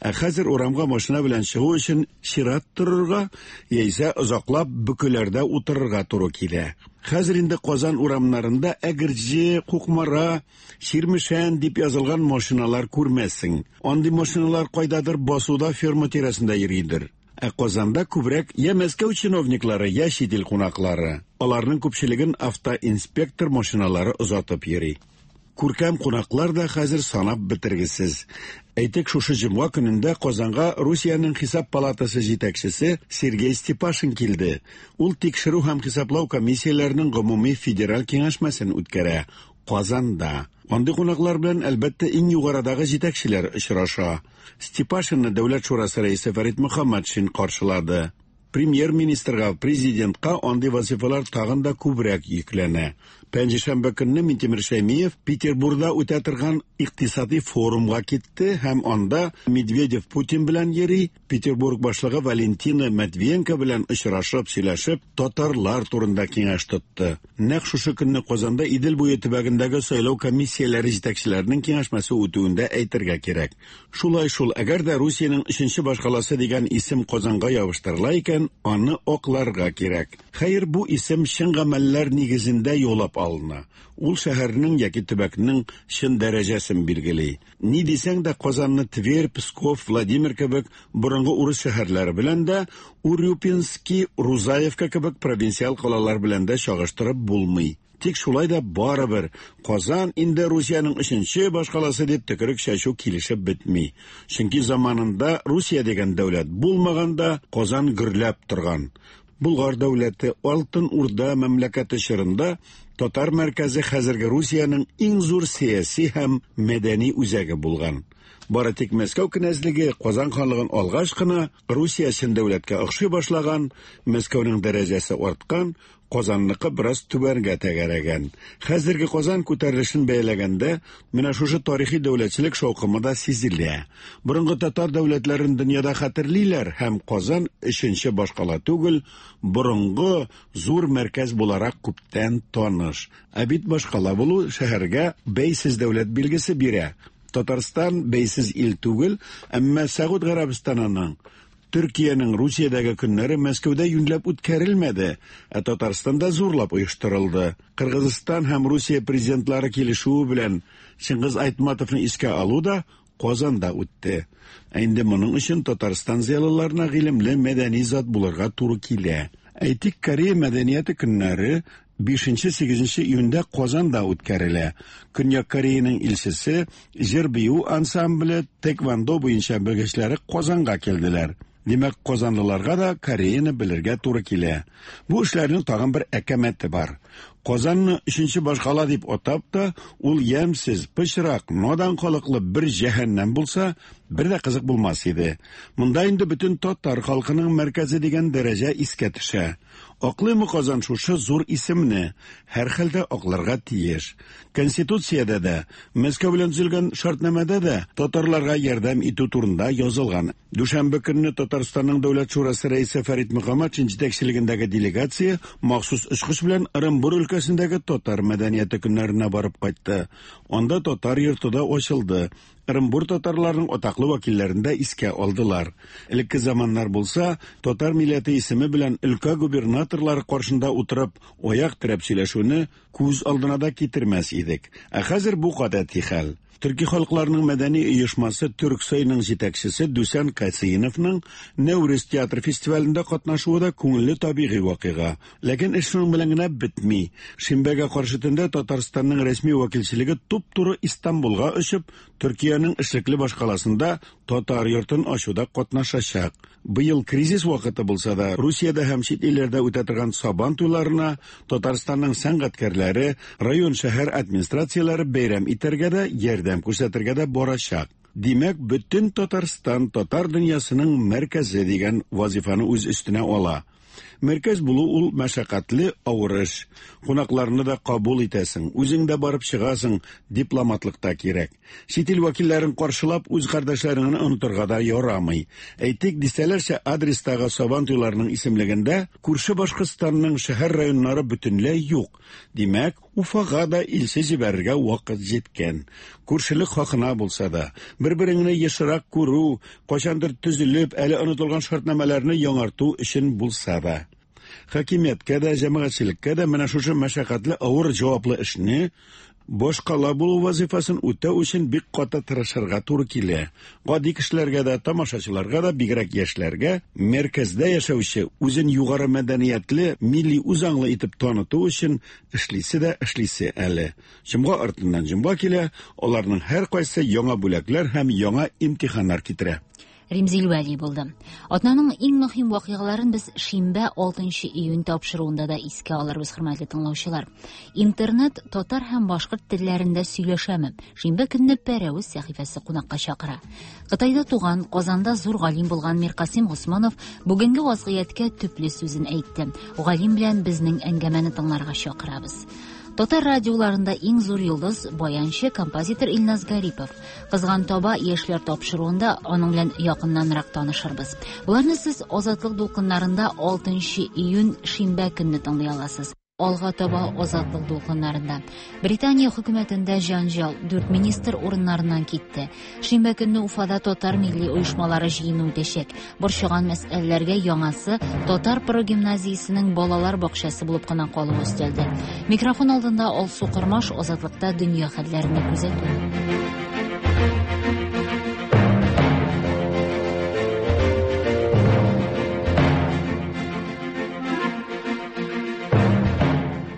Ә хәзер урамга машина белән чыгу өчен чират торырга, яисә озаклап бөкеләрдә утырырга туры килә. Хәзер инде Казан урамнарында Әгерҗе, Кукмара, Чирмешән дип язылган машиналар күрмәссең. Андый машиналар кайдадыр басуда ферма тирәсендә йөридер. Ә Казанда күбрәк я Мәскәү чиновниклары, я чит ил кунаклары. Аларның күпчелеген автоинспектор машиналары озатып йөри. Күркәм кунаклар да хәзер санап бетергесез. Әйтик, шушы җомга көнендә Казанга Русиянең хисап палатасы җитәкчесе Сергей Степашин килде. Ул тикшерү һәм хисаплау комиссияләренең гомуми федераль киңәшмәсен үткәрә Казанда. Андый кунаклар белән әлбәттә иң югарыдагы җитәкчеләр очраша. Степашинны Дәүләт шурасы рәисе Фәрит Мөхәммәтшин каршылады. Премьер-министрга, президентка андый вазифалар тагын да күбрәк йөкләнә. Пәнҗешәмбе көнне Минтимер Шәймиев Петербургда үтә торган икътисади форумга китте һәм анда Медведев Путин белән йөри, Петербург башлыгы Валентина Матвиенко белән очрашып, сөйләшеп, татарлар турында киңәш тотты. Нәкъ шушы көнне Казанда Идел буе төбәгендәге сайлау комиссияләре җитәкчеләренең киңәшмәсе үтүен дә әйтергә кирәк. Шулай шул, әгәр дә Русиянең өченче башкаласы дигән исем Казанга ябыштырыла икән, аны акларга кирәк. Хәер, бу исем чын гамәлләр нигезендә юлап алына. Ул шәһәрнең яки төбәкнең чын дәрәҗәсен билгели. Ни дисәң дә Казанны Тверь, Псков, Владимир кебек борынгы урыс шәһәрләре белән дә, Урюпинский, Рузаевка кебек провинциаль калалар белән дә чагыштырып булмый. Тик шулай да барыбер Казан инде Русиянең өченче башкаласы дип төкерек чәчү килешеп бетми. Чөнки заманында Русия дигән дәүләт булмаганда Казан гөрләп торган. Булгар дәүләте Алтын Урда мәмләкәте чорында татар мәркәзе хәзерге Русиянең иң зур сәяси һәм мәдәни үзәге булган. Бары тик Мәскәү кенәзлеге Казан ханлыгын алгач кына Русия чын дәүләткә охшый башлаган, Мәскәүнең дәрәҗәсе арткан, Казанныкы бераз түбәнгә тәгәрәгән. Хәзерге Казан күтәрелешен бәяләгәндә менә шушы тарихи дәүләтчелек шаукымы да сизелә. Борынгы татар дәүләтләрен дөньяда хәтерлиләр һәм Казан өченче башкала түгел, борынгы зур мәркәз буларак күптән таныш. Ә бит башкала булу шәһәргә бәйсез дәүләт билгесе бирә. Татарстан бәйсез ил түгел, әмма Сәгуд Гарәбстанының Төркиянең Русиядәге көннәре Мәскәүдә юньләп үткәрелмәде, ә Татарстанда зурлап оештырылды. Кыргызстан һәм Русия президентлары килешүе белән Чингиз Айтматовны искә алу да Казанда үтте. Ә инде моның өчен Татарстан зыялыларына гыйлемле мәдәни зат булырга туры килә. Әйтик, Корея мәдәнияте көннәре бишенче-сигезенче июньдә Казанда үткәрелә. Көньяк Кореяның илчесе, җыр-бию ансамбле, тэквондо буенча белгечләре Казанга килделәр. Димәк, казанлыларга да Кореяны белергә туры килә. Бу эшләрнең тагын бер әкәмәте бар. Казанны өченче башкала дип атап та, ул ямьсез, пычрак, надан халыклы бер җәһәннәм булса, бер дә кызык булмас иде. Монда инде бөтен татар халкының мәркәзе дигән дәрәҗә искә төшә. Аклыймы Казан шушы зур исемне? Һәр хәлдә акларга тиеш. Конституциядә дә, Мәскәү белән төзелгән шартнамәдә дә татарларга ярдәм итү турында язылган. Дүшәмбе көнне Татарстанның Дәүләт шурасы рәисе Фәрит Мөхәммәтшин җитәкчелегендәге делегация махсус очкыч белән Ырынбур өлкәсендәге татар мәдәнияте көннәренә барып кайтты. Анда татар йорты да ачылды. Ырынбур татарларының атаклы вәкилләрен дә искә алдылар. Элекке заманнар булса, татар милләте исеме белән өлкә губернаторлары каршында утырып, аяк терәп сөйләшүне күз алдына да китермәс идек. Ә хәзер бу гадәти хәл. Төрки халыкларының мәдәни оешмасы Түрксойның җитәкчесе Дүсән Касыйновның Нәүрүз театр фестивалендә катнашуы да күңелле табигый вакыйга. Ләкин эш шуның белән генә бетми. Шимбәгә каршы төндә Татарстанның рәсми вәкилчелеге туп-туры Истанбулга очып, Төркиянең эшлекле башкаласында татар йортын ачуда катнашачак. Быел кризис вакыты булса да, Русиядә һәм чит илләрдә үтә торган Сабан туйларына Татарстанның сәнгатькәрләре, район шәһәр администрацияләре бәйрәм итәргә дә, ярдәм күрсәтергә дә барачак. Димәк, бөтен Татарстан татар дөньясының мәркәзе дигән вазифаны үз өстенә ала. Мәркәз булу ул мәшәкатьле авыр эш. Кунакларны да кабул итәсең, үзең дә барып чыгасың, дипломатлык та кирәк. Чит ил вәкилләрен каршылап, үз кардәшләреңне онытырга да ярамый. Әйтик, дистәләрчә адрестагы Сабан туйларының исемлегендә күрше Башкортстанның шәһәр районнары бөтенләй юк. Димәк, Уфага да илче җибәрергә вакыт җиткән. Күршелек хакына булса да, бер-береңне ешрак күрү, кайчандыр төзелеп, әле онытылган шартнамәләрне яңарту өчен булса да. Хакимияткә дә, җәмәгатьчелеккә дә менә шушы мәшәкатьле авыр җаваплы эшне башкала булу вазифасын үтәү өчен бик каты тырышырга туры килә. Гади кешеләргә дә, тамашачыларга да, бигрәк яшьләргә мәркәздә яшәүче, үзен югары мәдәниятле, милли үзаңлы итеп таныту өчен эшлисе дә эшлисе әле. Җомга артыннан җомга килә, аларның һәркайсы яңа бүләкләр һәм яңа имтиханнар китерә. Римзил Вәли булды. Атнаның иң мөһим вакыйгаларын без шимбә алтынчы июнь тапшыруында да искә алырбыз, хөрмәтле тыңлаучылар. Интернет татар һәм башкорт телләрендә сөйләшәме? Шимбә көнне Пәрәвез сәхифәсе кунакка чакыра. Кытайда туган, Казанда зур галим булган Миркасыйм Госманов бүгенге вазгыятькә төпле сүзен әйтте. Галим белән безнең әңгәмәне тыңларга чакырабыз. Татар радиоларында иң зур йолдыз баянчы, композитор Илназ Гарипов. Кызган таба яшьләр тапшыруында аның белән якыннанрак танышырбыз. Буларны сез Азатлык дулкыннарында алтынчы июнь шимбә көнне тыңлый аласыз. Алга таба Азатлык дулкыннарында. Британия хөкүмәтендә җанҗал, дүрт министр урыннарыннан китте. Шимбә көнне Уфада татар милли оешмалары җыены үтәчәк. Борчыган мәсьәләләргә яңасы татар прогимназиясенең балалар бакчасы булып кына калуы өстәлде. Микрофон алдында Алсу Кырмаш, Азатлыкта дөнья хәлләрен күзәтү.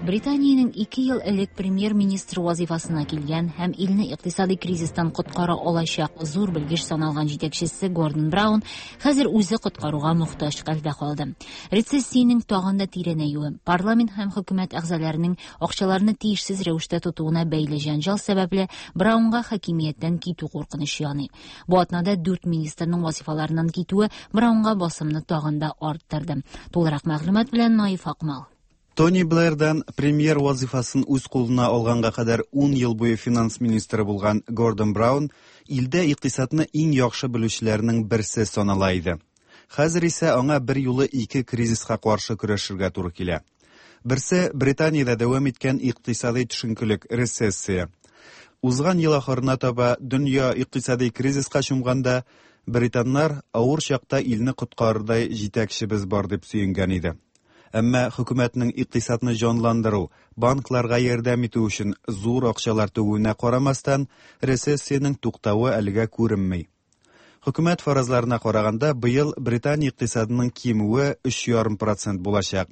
Британиянең ике ел элек премьер-министр вазифасына килгән һәм илне икътисади кризистан коткара алачак зур белгеч саналган җитәкчесе Гордон Браун хәзер үзе коткаруга мохтаҗ хәлдә калды. Рецессиянең тагын да тирәнәюе, парламент һәм хөкүмәт әгъзаларының акчаларны тиешсез рәвештә тотуына бәйле җәнҗал сәбәпле Браунга хакимияттән китү куркынычы яный. Бу атнада дүрт министрның вазифаларыннан китүе Браунга басымны тагын да арттырды. Тулырак мәгълүмат белән Наиф Акмал. Тони Блэрдан премьер вазифасын үз кулына алганга кадәр ун ел буе финанс министры булган Гордон Браун илдә икътисадны иң яхшы белүчеләрнең берсе санала иде. Хәзер исә аңа бер юлы ике кризиска каршы көрәшергә туры килә. Берсе Британиядә дәвам иткән икътисади төшенкелек, рецессия. Узган ел ахырына таба дөнья икътисади кризиска чумганда, британнар авыр чакта илне коткарырдай җитәкчебез бар дип сөенгән иде. Әмма хөкүмәтнең икътисадны җанландыру, банкларга ярдәм итү өчен зур акчалар түгүенә карамастан, рецессиянең туктавы әлегә күренми. Хөкүмәт фаразларына караганда, быел Британия икътисадының кимүе өч ярым процент булачак.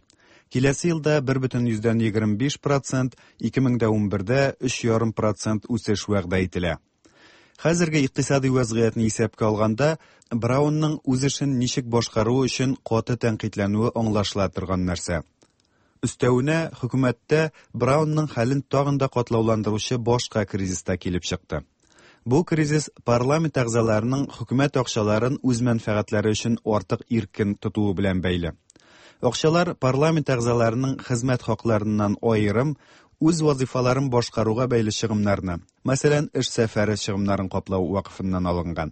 Киләсе елда бер бөтен йөздән егерме биш процент, ике мең дә унбердә өч ярым процент үсеш вәгъдә ителә. Хәзерге икътисади вәзгыятьне исәпкә алганда, Браунның үз эшен ничек башкаруы өчен каты тәнкыйтьләнүе аңлашыла торган нәрсә. Өстәвенә, хөкүмәттә Браунның хәлен тагын да катлауландыручы башка кризис та килеп чыкты. Бу кризис парламент әгъзаларының хөкүмәт акчаларын үз мәнфәгатьләре өчен артык иркен тотуы белән бәйле. Акчалар парламент әгъзаларының хезмәт хакларыннан аерым үз вазифаларын башкаруга бәйле чыгымнарны, мәсәлән, эш сәфәре чыгымнарын каплау вакыфыннан алынган.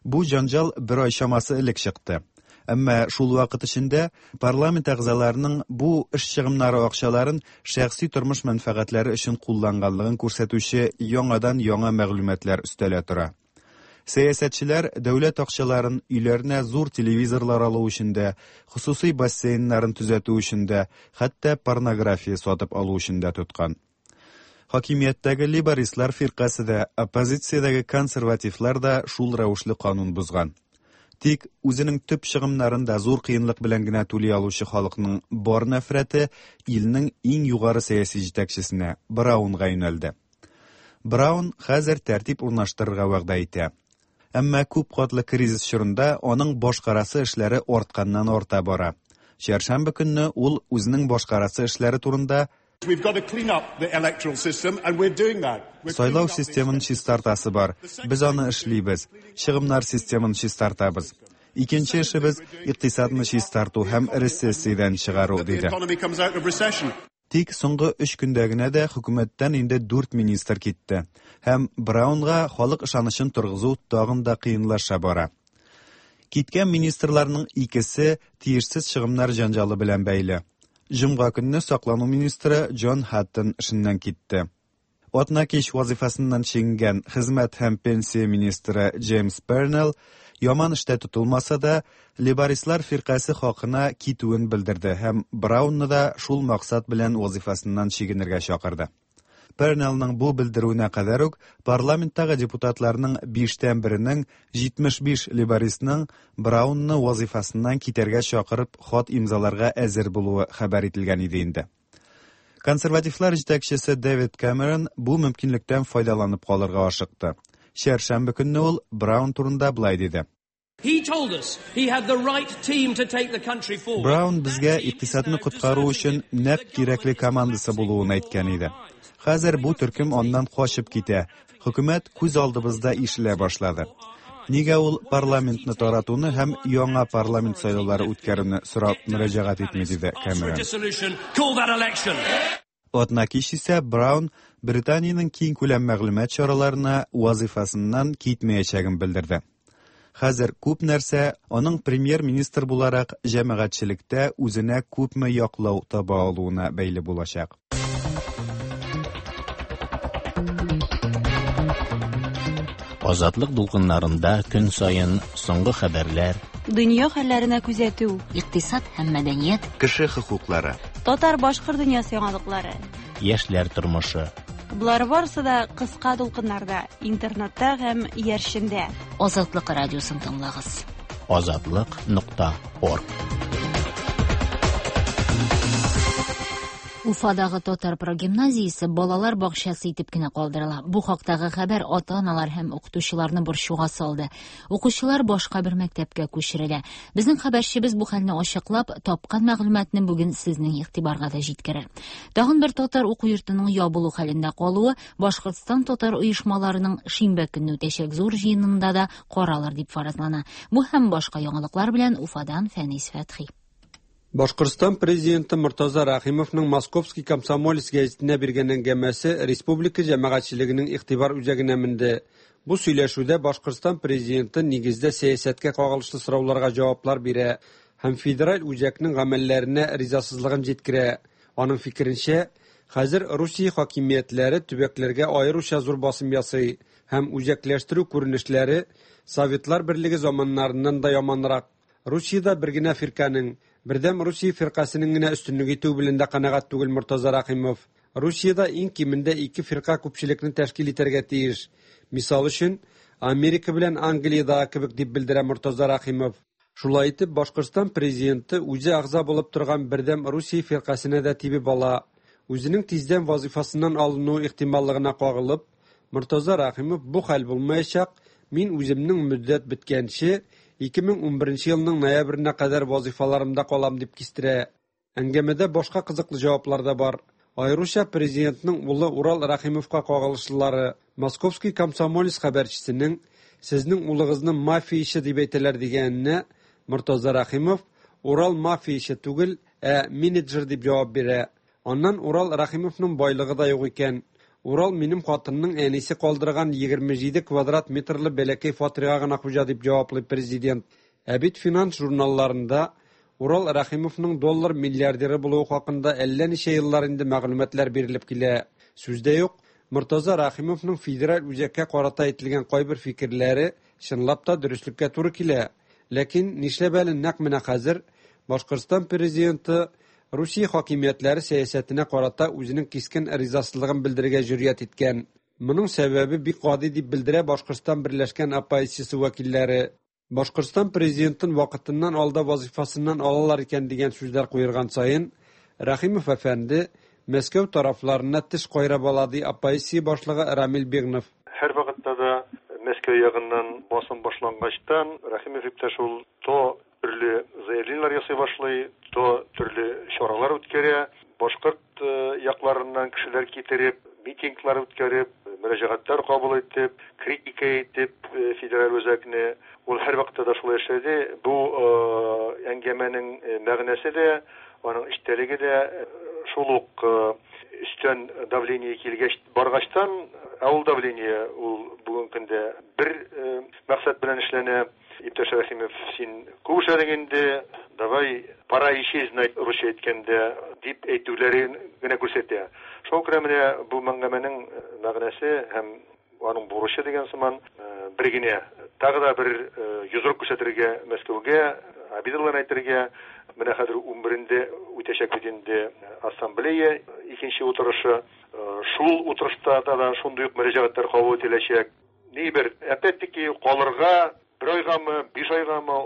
Бу җанҗал бер ай чамасы элек чыкты. Әмма шул вакыт эчендә парламент әгъзаларының бу эш чыгымнары акчаларын шәхси тормыш мәнфәгатьләре өчен кулланганлыгын күрсәтүче яңадан яңа мәгълүматлар өстәлә тора. Сәясәтчеләр дәүләт акчаларын өйләренә зур телевизорлар алу өчен дә, хосусый бассейннарын төзәтү өчен дә, хәтта порнография сатып алу өчен дә тоткан. Хакимияттәге лейбористлар фиркасе дә, оппозициядәге консервативлар да шул рәвешле канун бозган. Тик үзенең төп чыгымнарын да зур кыенлык белән генә түли алучы халыкның бар нәфрәте илнең иң югары сәяси җитәкчесенә, Браунга юнәлде. Браун хәзер тәртип урнаштырырга вәгъдә итә. Әмма күп катлы кризис чорында аның башкарасы эшләре артканнан арта бара. Чәршәмбе көнне ул үзенең башкарасы эшләре турында Сайлау системын чистартасы бар. Без аны эшлибез. Чыгымнар системын чистартабыз. Икенче эшебез икътисадны чистарту һәм рецессиядән чыгару, диде. Тик соңгы өч көндә генә дә хөкүмәттән инде дүрт министр китте. Һәм Браунга халык ышанычын торгызу тагын да кыенлаша бара. Киткән министрларның икесе тиешсез чыгымнар җанҗалы белән бәйле. Җомга көнне саклану министры Джон Хаттон эшеннән китте. Атна кич вазифасыннан чигенгән хезмәт һәм пенсия министры Джеймс Пернелл яман эштә тотылмаса да, лейбористлар фиркасе хакына китүен белдерде һәм Браунны да шул максат белән вазифасыннан чигенергә чакырды. Пернеллның бу белдерүенә кадәр үк парламенттагы депутатларның биштән беренең җитмеш биш лейбористның Браунны вазифасыннан китәргә чакырып хат имзаларга әзер булуы хәбәр ителгән иде инде. Консервативлар җитәкчесе Дэвид Кэмерон бу мөмкинлектән файдаланып калырга ашыкты. Чәршәмбе көнне ул Браун турында былай диде. Браун безгә икътисадны коткару өчен нәкъ кирәкле командасы булуын әйткән иде. Хәзер бу төркем аннан качып китә. Хөкүмәт күз алдыбызда ишелә башлады. Нигә ул парламентны таратуны һәм яңа парламент сайлаулары үткәрүне сорап мөрәҗәгать итми, диде Кэмерон. Атна кич исә Браун Британиянең киң күләм мәгълүмат чараларына вазифасыннан китмәячәген белдерде. Хәзер күп нәрсә аның премьер-министр буларак җәмәгатьчелектә үзенә күпме яклау таба алуына бәйле булачак. Азатлык дулкыннарында көн саен соңгы хәбәрләр, дөнья хәлләренә күзәтү, икътисад һәм мәдәният, кеше хокуклары, татар-башкорт дөньясы яңалыклары, яшьләр тормышы. Болар барысы да кыска дулкыннарда, интернетта һәм иярчендә. Азатлык радиосын тыңлагыз. Азатлык нокта орг. Уфадагы татар прогимназиясе балалар бакчасы итеп кенә калдырыла. Бу хактагы хәбәр ата-аналар һәм укытучыларны борчуга салды. Укучылар башка бер мәктәпкә күчерелә. Безнең хәбәрчебез бу хәлне ачыклап, тапкан мәгълүматны бүген сезнең игътибарга да җиткерер. Тагын бер татар уку йортының ябылу хәлендә калуы Башкортстан татар оешмаларының шимбә көнне үтәчәк зур җыенында да каралыр дип фаразлана. Бу һәм башка яңалыклар белән Уфадан Фәнис Фәтхи. Башкортстан президенты Муртаза Рахимовның Московский комсомолец гәзитенә биргән әңгәмәсе республика җәмәгатьчелегенең игътибар үзәгенә менде. Бу сөйләшүдә Башкортстан президенты нигездә сәясәткә кагылышлы сорауларга җаваплар бирә һәм федераль үзәкнең гамәлләренә ризасызлыгын җиткерә. Аның фикеренчә, Хәзер Русия хакимиятләре төбәкләргә аеруча зур басым ясый һәм үзәкләштерү күренешләре Советлар Берлеге заманнарыннан да яманрак. Русиядә бер генә фирканең, Бердәм Русия фиркасының генә өстенлек итүе белән дә канәгать түгел Мортаза Рәхимов. Русиядә иң кимендә ике фирка күпчелекне тәшкил итәргә тиеш. Мисал өчен, Америка белән Англиядә кебек дип белдерә Мортаза Рәхимов. Шулай итеп, Башкортстан президенты үзе әгъза булып торган Бердәм Русия фиркасына да тибеп ала. Үзенең тиздән вазифасыннан алыну ихтималлыгына кагылып, Мортаза Рәхимов бу хәл булмаячак, мин үземнең мөддәт беткәнче ике мең унберенче елның ноябренә кадәр вазифаларымда калам дип кистерә. Әңгәмәдә башка кызыклы җаваплар да бар. Аеруча президентның улы Урал Рәхимовка кагылышлылары. Московский комсомолец хәбәрчесенең «Сезнең улыгызны мафия ише дип әйтәләр» дигәненә Мортаза Рәхимов «Урал мафия ише түгел, ә менеджер» дип җавап бирә. Аннан Урал Рәхимовның байлыгы да юк икән. Урал минем хатынның әнисе калдырган егерме җиде квадрат метрлы бәләкәй фатирга гына хуҗа дип җаваплый президент. Ә бит финанс журналларында Урал Рәхимовның доллар миллиардеры булуы хакында әллә ничә еллар инде мәгълүматлар бирелеп килә. Сүз дә юк, Мортаза Рәхимовның федераль үзәккә карата әйтелгән кайбер фикерләре чынлап та дөреслеккә туры килә. Ләкин нишләп әле нәкъ менә хәзер Башкортстан президенты Русия хакимиятләре сәясәтенә карата үзенең кискен ризасызлыгын белдерергә җөрьәт иткән. Моның сәбәбе бик гади дип белдерә Башкортстан Берләшкән оппозициясе вәкилләре. Башкортстан президентын вакытыннан алда вазифасыннан алалар икән дигән сүзләр куерган саен, Рәхимов әфәнде Мәскәү тарафларына теш кайрап ала, ди оппозиция башлыгы Рамил Бигнов. Һәр вакытта да Мәскәү ягыннан басым башлангачтан Рәхимов иптәш ул то төрле заявлениеләр ясый башлый, то төрле чаралар үткәрә, башкорт якларыннан кешеләр китереп, митинглар үткәреп, мөрәҗәгатьләр кабул итеп, критика итеп федераль үзәкне. Ул һәр вакытта да шулай эшләде. Бу әңгәмәнең мәгънәсе дә, аның эчтәлеге дә шул ук өстән давление килгәч баргачтан, ә ул давление ул бүгенге көндә бер максат белән эшләнә. Иптәш Рәхимов, син күп эшләдең инде, давай пора исчезнуть, русча әйткәндә, дип әйтүләрен генә күрсәтә. Шуңа күрә менә бу әңгәмәнең мәгънәсе һәм аның бурычы дигән сыман бер генә, тагы да бер йозрык күрсәтергә Мәскәүгә, обидалар әйтергә. Менә хәзер унберендә үтәчәк бит инде ассамблея икенче утырышы. Шул утырышта да шундый ук мөрәҗәгатьләр кабул ителәчәк. Ни бер, опять-таки, калырга бер айгамы, биш айгамы,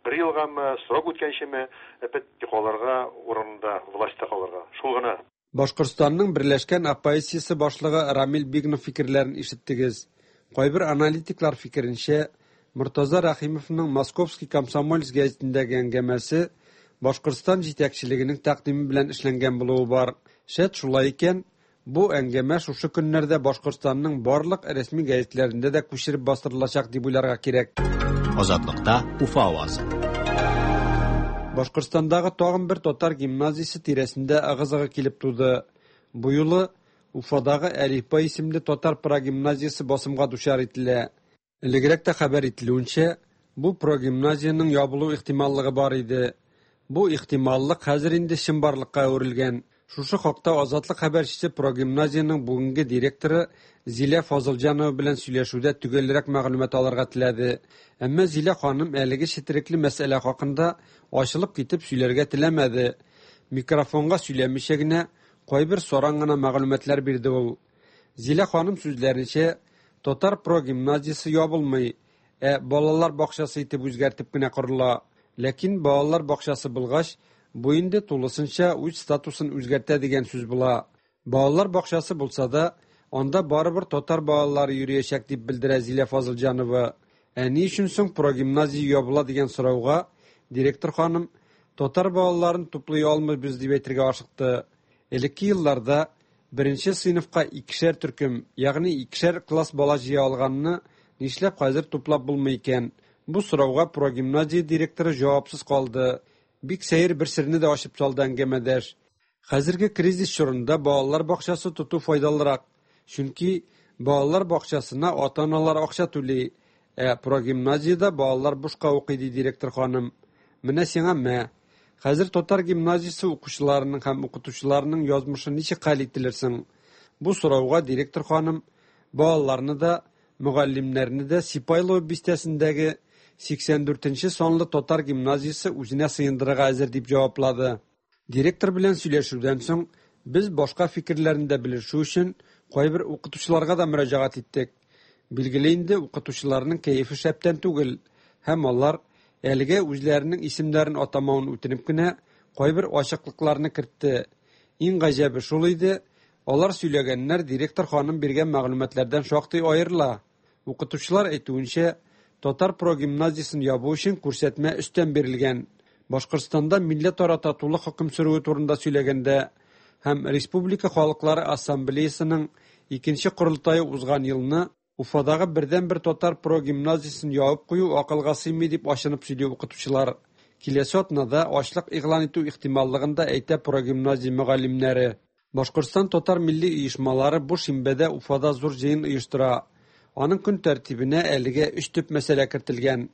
бер елгамы, срок үткәнчеме, опять-таки калырга урында, властьта калырга. Шул гына. Башкортстанның Берләшкән оппозициясе башлыгы Рамил Бигнов фикерләрен ишеттегез. Кайбер аналитиклар фикеренчә, Мортаза Рәхимовның Московский комсомолец гәзитендәге әңгәмәсе Башкортстан җитәкчелегенең тәкъдиме белән эшләнгән булуы бар. Шәт шулай икән, бу әңгәмә шушы көннәрдә Башкортстанның барлык рәсми гәзитләрендә дә күчереп бастырылачак дип уйларга кирәк. Азатлыкта Уфа авазы. Башкортстандагы тагын бер татар гимназиясе тирәсендә ыгы-зыгы килеп туды. Бу юлы Уфадагы Әлифба исемле татар прогимназиясе басымга дучар ителә. Элегрәк тә хәбәр ителүенчә, бу прогимназиянең ябылу ихтималлыгы бар иде. Бу ихтималлык хәзер инде чынбарлыкка әверелгән. Шушы хакта Азатлык хәбәрчесе прогимназиянең бүгенге директоры Зилә Фазылҗанова белән сөйләшүдә төгәлрәк мәгълүмат алырга теләде. Әмма Зилә ханым әлеге четерекле мәсьәлә хакында ачылып китеп сөйләргә теләмәде. Микрофонга сөйләмичә генә кайбер саран гына мәгълүматлар бирде ул. Зилә ханым сүзләренчә, татар прогимназиясе ябылмый, ә балалар бакчасы итеп үзгәртеп кенә корыла. Ләкин балалар бакчасы булгач, бу инде тулысынча үз статусын үзгәртә дигән сүз була. Балалар бакчасы булса да, анда барыбер татар балалары йөриячәк дип белдерә Зилә Фазылҗанова. Ә ни өчен соң прогимназия ябыла дигән сорауга директор ханым татар балаларын туплый алмыйбыз дип әйтергә ашыкты. Элекке елларда беренче сыйныфка икешәр төркем, ягъни икешәр класс бала җыя алганны нишләп хәзер туплап булмый икән? Бу сорауга прогимназия директоры җавапсыз калды. Бик сәер бер серне дә ачып салды әңгәмәдәш. Хәзерге кризис чорында балалар бакчасы тоту файдалырак. Чөнки балалар бакчасына ата-аналар акча түли, ә прогимназиядә балалар бушка укый, ди директор ханым. Менә сиңа мә. Хәзер татар гимназиясе укучыларының һәм укытучыларының язмышы ничек хәл ителер соң? Бу сорауга директор ханым балаларны да, мөгаллимнәрне дә Сипайлово бистәсендәге сиксән дүртенче санлы татар гимназиясе үзенә сыендырырга әзер дип җаваплады. Директор белән сөйләшүдән соң без башка фикерләрне дә белешү өчен кайбер укытучыларга да мөрәҗәгать иттек. Билгеле инде, укытучыларның кәефе шәптән түгел, һәм алар әлегә үзләренең исемнәрен атамавын үтенеп кенә кайбер ачыклыкларны кертте. Иң гаҗәбе шул иде, алар сөйләгәннәр директор ханым биргән мәгълүматлардан шактый аерыла. Укытучылар әйтүенчә, татар прогимназиясен ябу өчен күрсәтмә өстән бирелгән. Башкортстанда милләтара татулык хөкем сөрүе турында сөйләгәндә һәм Республика халыклары ассамблеясының икенче корылтае узган елны Уфадагы бердәнбер татар прогимназиясен ябып кую акылга сыймый дип ачынып сөйли укытучылар. Киләсе атнада ачлык игълан итү ихтималлыгын да әйтә прогимназия мөгаллимнәре. Башкортстан татар милли оешмалары бу шимбәдә Уфада зур җыен оештыра. Аның көн тәртибенә әлегә өч төп мәсьәлә кертелгән.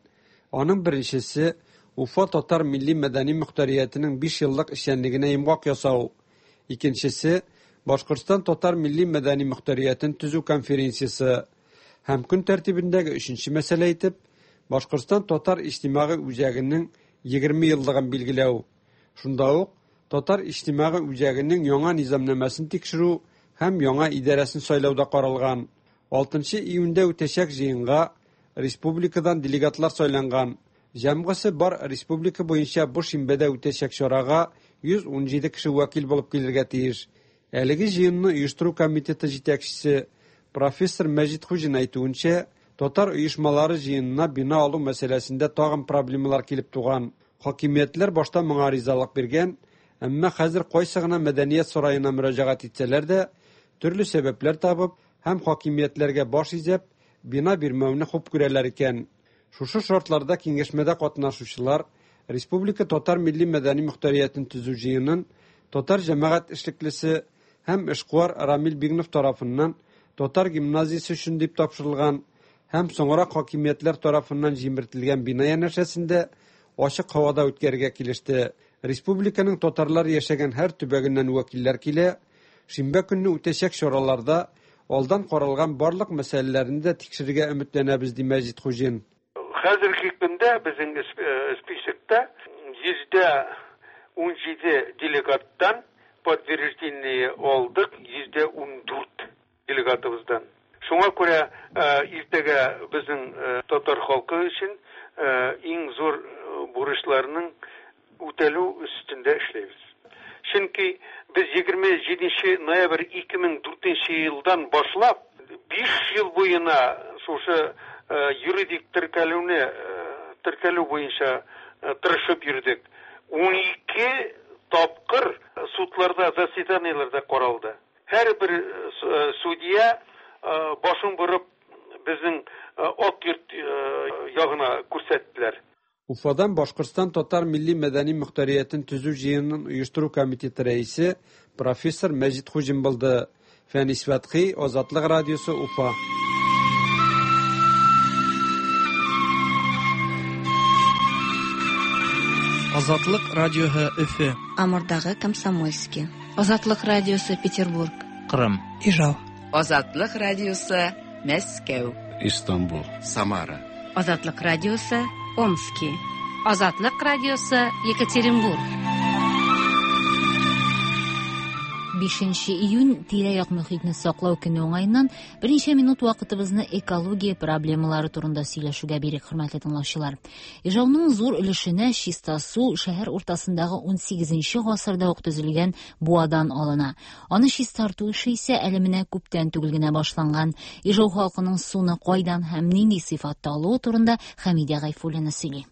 Аның беренчесе Уфа татар милли мәдәни мөхтәриятенең биш еллык эшчәнлегенә йомгак ясау. Икенчесе Башкортстан татар милли мәдәни мөхтәриятен төзү конференциясе. Һәм көн тәртибендәге өченче мәсьәлә итеп Башкортстан татар иҗтимагый үзәгенең егерме еллыгын билгеләү. Шунда ук татар иҗтимагый үзәгенең яңа низамнамәсен тикшерү һәм яңа идарәсен сайлау да каралган. Алтынчы июньдә үтәчәк җыенга республикадан делегатлар сайланган. Җәмгысе бар республика буенча бу шимбәдә үтәчәк чарага йөз ун җиде кеше вәкил булып килергә тиеш. Әлеге җыенны оештыру комитеты җитәкчесе профессор Мәҗит Хуҗин әйтүенчә, татар оешмалары җыенына бина алу мәсьәләсендә тагын проблемалар килеп туган. Хакимиятләр башта моңа ризалык биргән, әмма хәзер кайсы гына мәдәният сараена мөрәҗәгать итсәләр дә, төрле сәбәпләр табып һәм хакимиятләргә баш изәп, бина бирмәүне хуп күрәләр икән. Шушы шартларда киңәшмәдә катнашучылар Республика татар милли мәдәни мөхтәриятен төзү җыенын татар җәмәгать эшлеклесе һәм эшкуар Рамил Бигнов тарафыннан татар гимназиясе өчен дип тапшырылган һәм соңрак хакимиятләр тарафыннан җимертелгән бина янәшәсендә ачык һавада үткәрергә килеште. Республиканың татарлар яшәгән һәр төбәгеннән вәкилләр килә. Шимбә көнне үтәчәк чараларда алдан каралган барлык мәсьәләләрне дә тикшерергә өметләнәбез, ди Мәҗит Хуҗин. Хәзерге көндә безнең списокта йөздә ун җиде делегаттан подтверждение алдык, йөздә ун дүрт делегатыбыздан. Шуңа күрә иртәгә безнең татар халкы өчен иң зур бурычларның үтәлү өстендә эшләйбез. Чөнки без егерме җиденче ноябрь ике мең дүртенче елдан башлап биш ел буена шушы юридик теркәлүне теркәлү буенча тырышып йөрдек. Ун ике тапкыр судларда, заседаниеләрдә каралды. Һәрбер судья башын борып безнең Ак йорт ягына күрсәттеләр. Уфадан Башкортстан татар милли мәдәни мөхтәриятен төзү җыенын оештыру комитеты рәисе профессор Мәҗит Хуҗин булды. Фәнис Фәтхи, Азатлык радиосы, Уфа. Азатлык радиоһы Өфө. Амурдагы Комсомольский. Азатлык радиосы Петербург. Кырым. Ижау. Азатлык радиосы Мәскәү. Истанбул. Самара. Азатлык радиосы Омски. Азатлык радиосы Екатеринбург. Бишенче июнь тирә-як мөхитне саклау көне уңаеннан берничә минут вакытыбызны экология проблемалары турында сөйләшүгә бирик, хөрмәтле тыңлаучылар. Ижауның зур өлешенә чиста су шәһәр уртасындагы ун сигезенче гасырда ук төзелгән буадан алына. Аны чистарту эше исә әле менә күптән түгел генә башланган. Ижау халкының суны кайдан һәм нинди сыйфатта алуы турында Хәмидә Гайфуллина сөйли.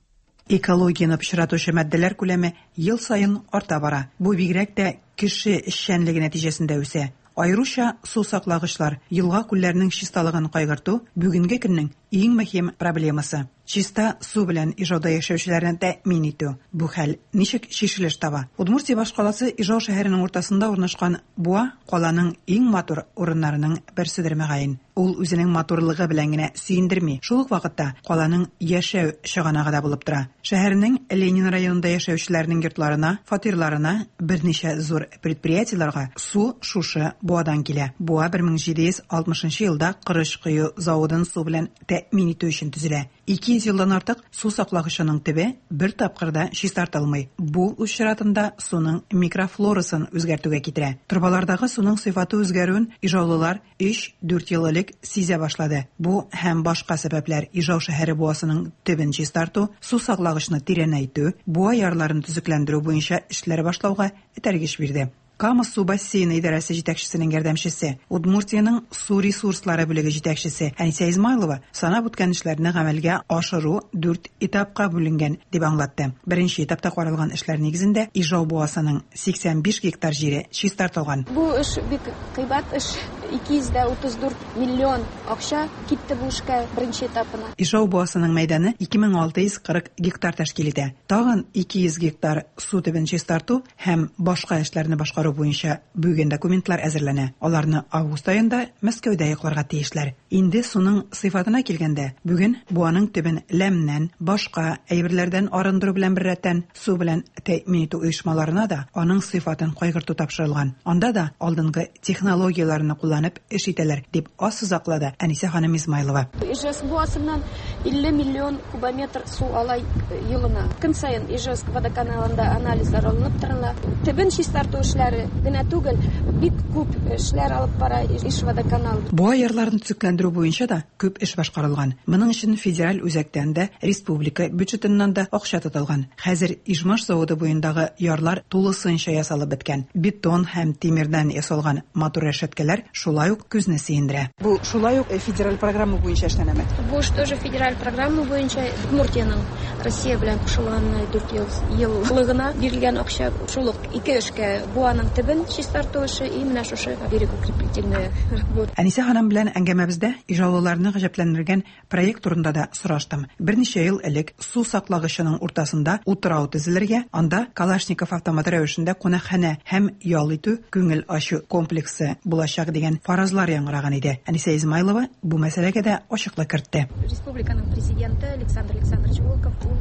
Экологияны пычратучы матдәләр күләме ел саен арта бара. Бу бигрәк тә кеше эшчәнлеге нәтиҗәсендә үсә. Аеруча су саклагычлар, елга күлләренең чисталыгын кайгырту бүгенге көннең иң мөһим проблемасы чиста су белән Ижауда яшәүчеләрне тәэмин итү. Бу хәл ничек чишелеш таба? Удмуртия башкаласы Ижау шәһәренең уртасында урнашкан буа каланың иң матур урыннарының берседер мөгаен. Ул үзенең матурлыгы белән генә сөендерми, шул ук вакытта каланың яшәү чыганагы да булып тора. Шәһәрнең Ленин районында яшәүчеләрнең йортларына, фатирларына, берничә зур предприятиеләргә су шушы буадан килә. Буа бер мең җиде йөз алтмышынчы елда корыч кою заводын су белән тәэмин итү өчен төзелә. Ике йөз елдан артык су саклагычының төбе бер тапкыр да чистартылмый. Бу үз чиратында суның микрофлорасын үзгәртүгә китерә. Торбалардагы суның сыйфаты үзгәрүен ижаулылар өч-дүрт ел элек сизә башлады. Бу һәм башка сәбәпләр Ижау шәһәре буасының төбен чистарту, су саклагычны тирәнәйтү, буа ярларын төзекләндерү буенча эшләр башлауга этәргеч бирде. Кама су бассейны идарәсе җитәкчесенең ярдәмчесе, Удмуртиянең су ресурслары бүлеге җитәкчесе Әнисә Измайлова санап үткән эшләрне гамәлгә ашыру дүрт этапка бүленгән дип аңлатты. Беренче этапта каралган эшләр нигезендә Ижау буасының сиксән биш гектар җире чистартылган. Бу эш бик кыйбат эш, ике йөз дә утыз дүрт миллион акча китте бу эшкә беренче этапына. Ижау буасының мәйданы ике мең алты йөз кырык гектар тәшкил итә. Тагын ике йөз гектар су төбен чистарту һәм башка эшләрне башкару буенча бүген документлар әзерләнә. Аларны август аенда Мәскәүдә якларга тиешләр. Инде суның сыйфатына килгәндә, бүген буаның төбен ләмнән, башка әйберләрдән арындыру белән беррәттән су белән тәэмин итү оешмаларына да аның сыйфатын кайгырту тапшырылган. Анда да алдынгы технологияләрне кулланып эш итәләр, дип ассызыклады Әнисә ханым Измайлова. Ижевск буасыннан илле миллион кубометр су ала елына. Көн саен Ижевск водоканалында анализлар алынып торыла. Төбен чистарту эшләре генә түгел, бик күп эшләр алып бара Ижводоканал. Буа ярларын төзекләндерү буенча да күп эш башкарылган. Моның өчен федераль үзәктән дә, республика бюджетыннан да акча тотылган. Хәзер Ижмаш заводы буендагы ярлар тулысынча ясалып беткән. Бетон һәм тимердән ясалган матур рәшәткәләр шулай ук күзне сөендерә. Бу шулай ук федераль программа буенча эшләнәме? Бу эш тоже федераль программа буенча Удмуртиянең Россия белән кушылганына дүрт еллыгына бирелгән акча шул ук ике эшкә буаның төбен чистарту эше и менә шушы берегоукрепительная работа. Әнисә ханым белән әңгәмәбездә ижаулыларны гаҗәпләндергән проект турында да сораштым. Берничә ел элек су саклагычының уртасында утрау төзелергә, анда Калашников автоматы рәвешендә кунакханә һәм ял итү, күңел ачу комплексы булачак дигән фаразлар яңгыраган иде. Әнисә Измайлова бу мәсьәләгә дә ачыклык кертте. Республиканың президенты Александр Александрович Волков ул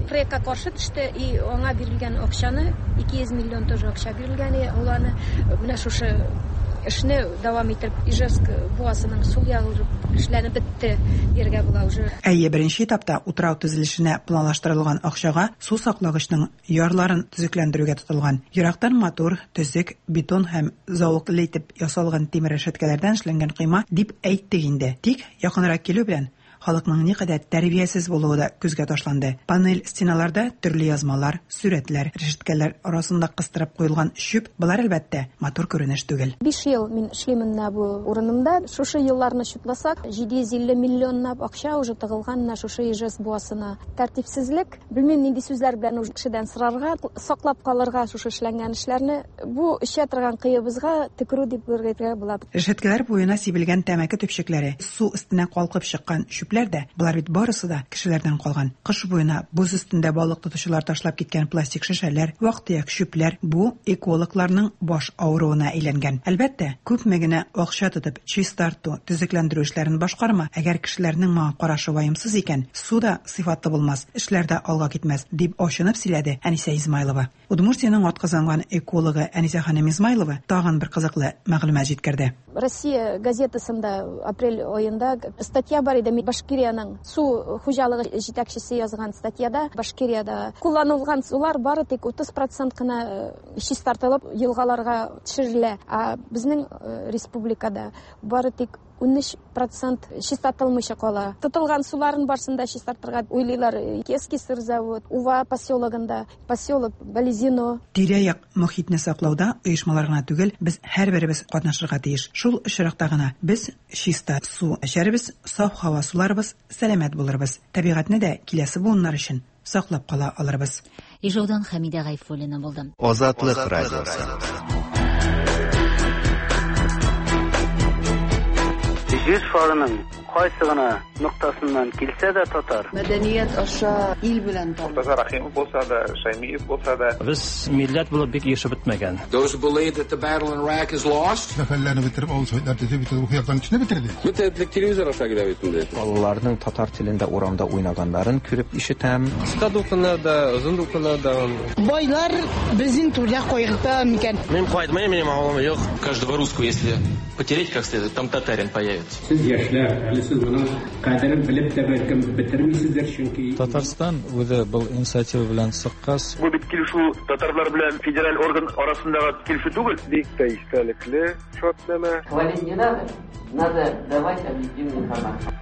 проектка каршы төште и аңа бирелгән акчаны ике йөз миллион тоже акча бирелгән, ул аны менә шушы эшне дәвам итеп Ижевск буасының сул ягы эшләнеп бетте дияргә була уже. Әйе, беренче этапта утрау төзелешенә планлаштырылган акчага су саклагычның ярларын төзекләндерүгә тотылган. Ерактан матур, төзек, бетон һәм зәвыклы итеп ясалган тимер рәшәткәләрдән эшләнгән койма дип әйттек инде. Тик якынрак килү белән халыкның никадәр тәрбиясез булуы да күзгә ташланды. Панель стеналарда төрле язмалар, сүрәтләр, рәшәткәләр арасында кыстырып куелган чүп, болар әлбәттә матур күренеш түгел. Биш ел мин эшлимен менә бу урынымда. Шушы елларны чутласак, җиде йөз илле миллионлап акча уже тыгылган менә шушы Ижевск буасына. Тәртипсезлек, белмим нинди сүзләр белән уже кешедән сорарга, саклап калырга шушы эшләнгән эшләрне, бу эчә торган кыебызга төкерү дип әйтергә була. Рәшәткәләр буена сибелгән тәмәке төпчекләре, су өстенә калкып чыккан чүп дә, болар бит барысы да кешеләрдән калган. Кыш буена боз өстендә балык тотучылар ташлап киткән пластик шешәләр, вак-төяк чүпләр бу экологларның баш авыруына әйләнгән. Әлбәттә, күпме генә акча тотып чистарту, төзекләндерү эшләрен башкарма, әгәр кешеләрнең моңа карашы ваемсыз икән, су да сыйфатлы булмас, эшләр дә алга китмәс, дип ачынып сөйләде Әнисә Измайлова. Удмуртиянең атказанган экологы Әнисә ханым Измайлова тагын бер кызыклы мәгълүмат җиткерде. Россия газетасында апрель аенда статья бар иде, Башкирияның су хуҗалыгы җитәкчесе язган статьяда Башкириядә кулланылган сулар бары тик утыз процент кына чистартылып елгаларга төшерелә. Ә безнең республикада бары тик ун өч процент чистартылмыйча кала. Тотылган суларын барсын да чистартырга уйлыйлар. Кески сыр завод, Ува поселогында, поселок Балезино. Тирә-як мохитне саклауда оешмалар гына түгел, без һәрберебез катнашырга тиеш. Шул очракта гына без чиста су эчәрбез, саф һава суларбыз, сәламәт булырбыз. Табигатьне дә киләсе буыннар өчен саклап кала алырбыз. Ижаудан Хәмидә Гайфуллина булды. Азатлык радиосы. Җир шарының Кайсы гына ноктасыннан килсә дә татар. Мәдәният аша ил белән таныш. Мортаза Рахимов булса да, Шаймиев булса да. Без милләт булып бик ешып бетмәгән. Those who believe that the battle in Iraq is lost. Сәфәрләрне бетереп, авыл советлар төзеп, бит рухи яктан көчне бетерде. Бөтен телевизор аша килә бит инде. Балаларның татар телендә урамда уйнаганнарын күреп ишетәм. Кыска дулкыннар да, озын дулкыннар да. Байлар безнең түрдә кайгырта микән? Мин кайтмыйм, минем авылым юк. Каждого русского, если потереть как следует, там татарин появится. Сез яшьләр, әле сез моның кадерен белеп тә бәлкем бетермисездер, чөнки Татарстан үзе был инициатива белән чыккач, бу бит килешү татарлар белән федераль орган арасындагы килешү түгел. Бик тә истәлекле шартнамә. Хвалить не надо, надо давать объективную информацию.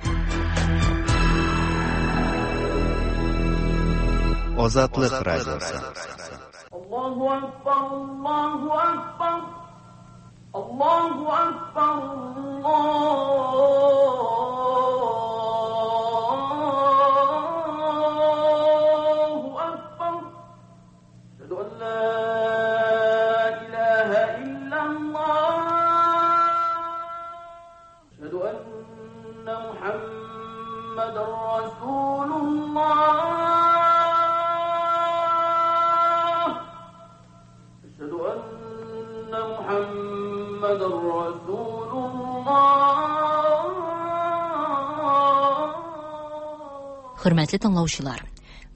Азатлык радиосы. Аллаһу акбар, Аллаһу акбар. Аллаһу акбар, Аллаһу акбар. Ашһаду ан ла илаһа иллаллаһ. Ашһаду анна Мухаммадан расулуллаһ. Ашһаду анна Мухаммадан расулуллаһ. Хөрмәтле тыңлаучылар,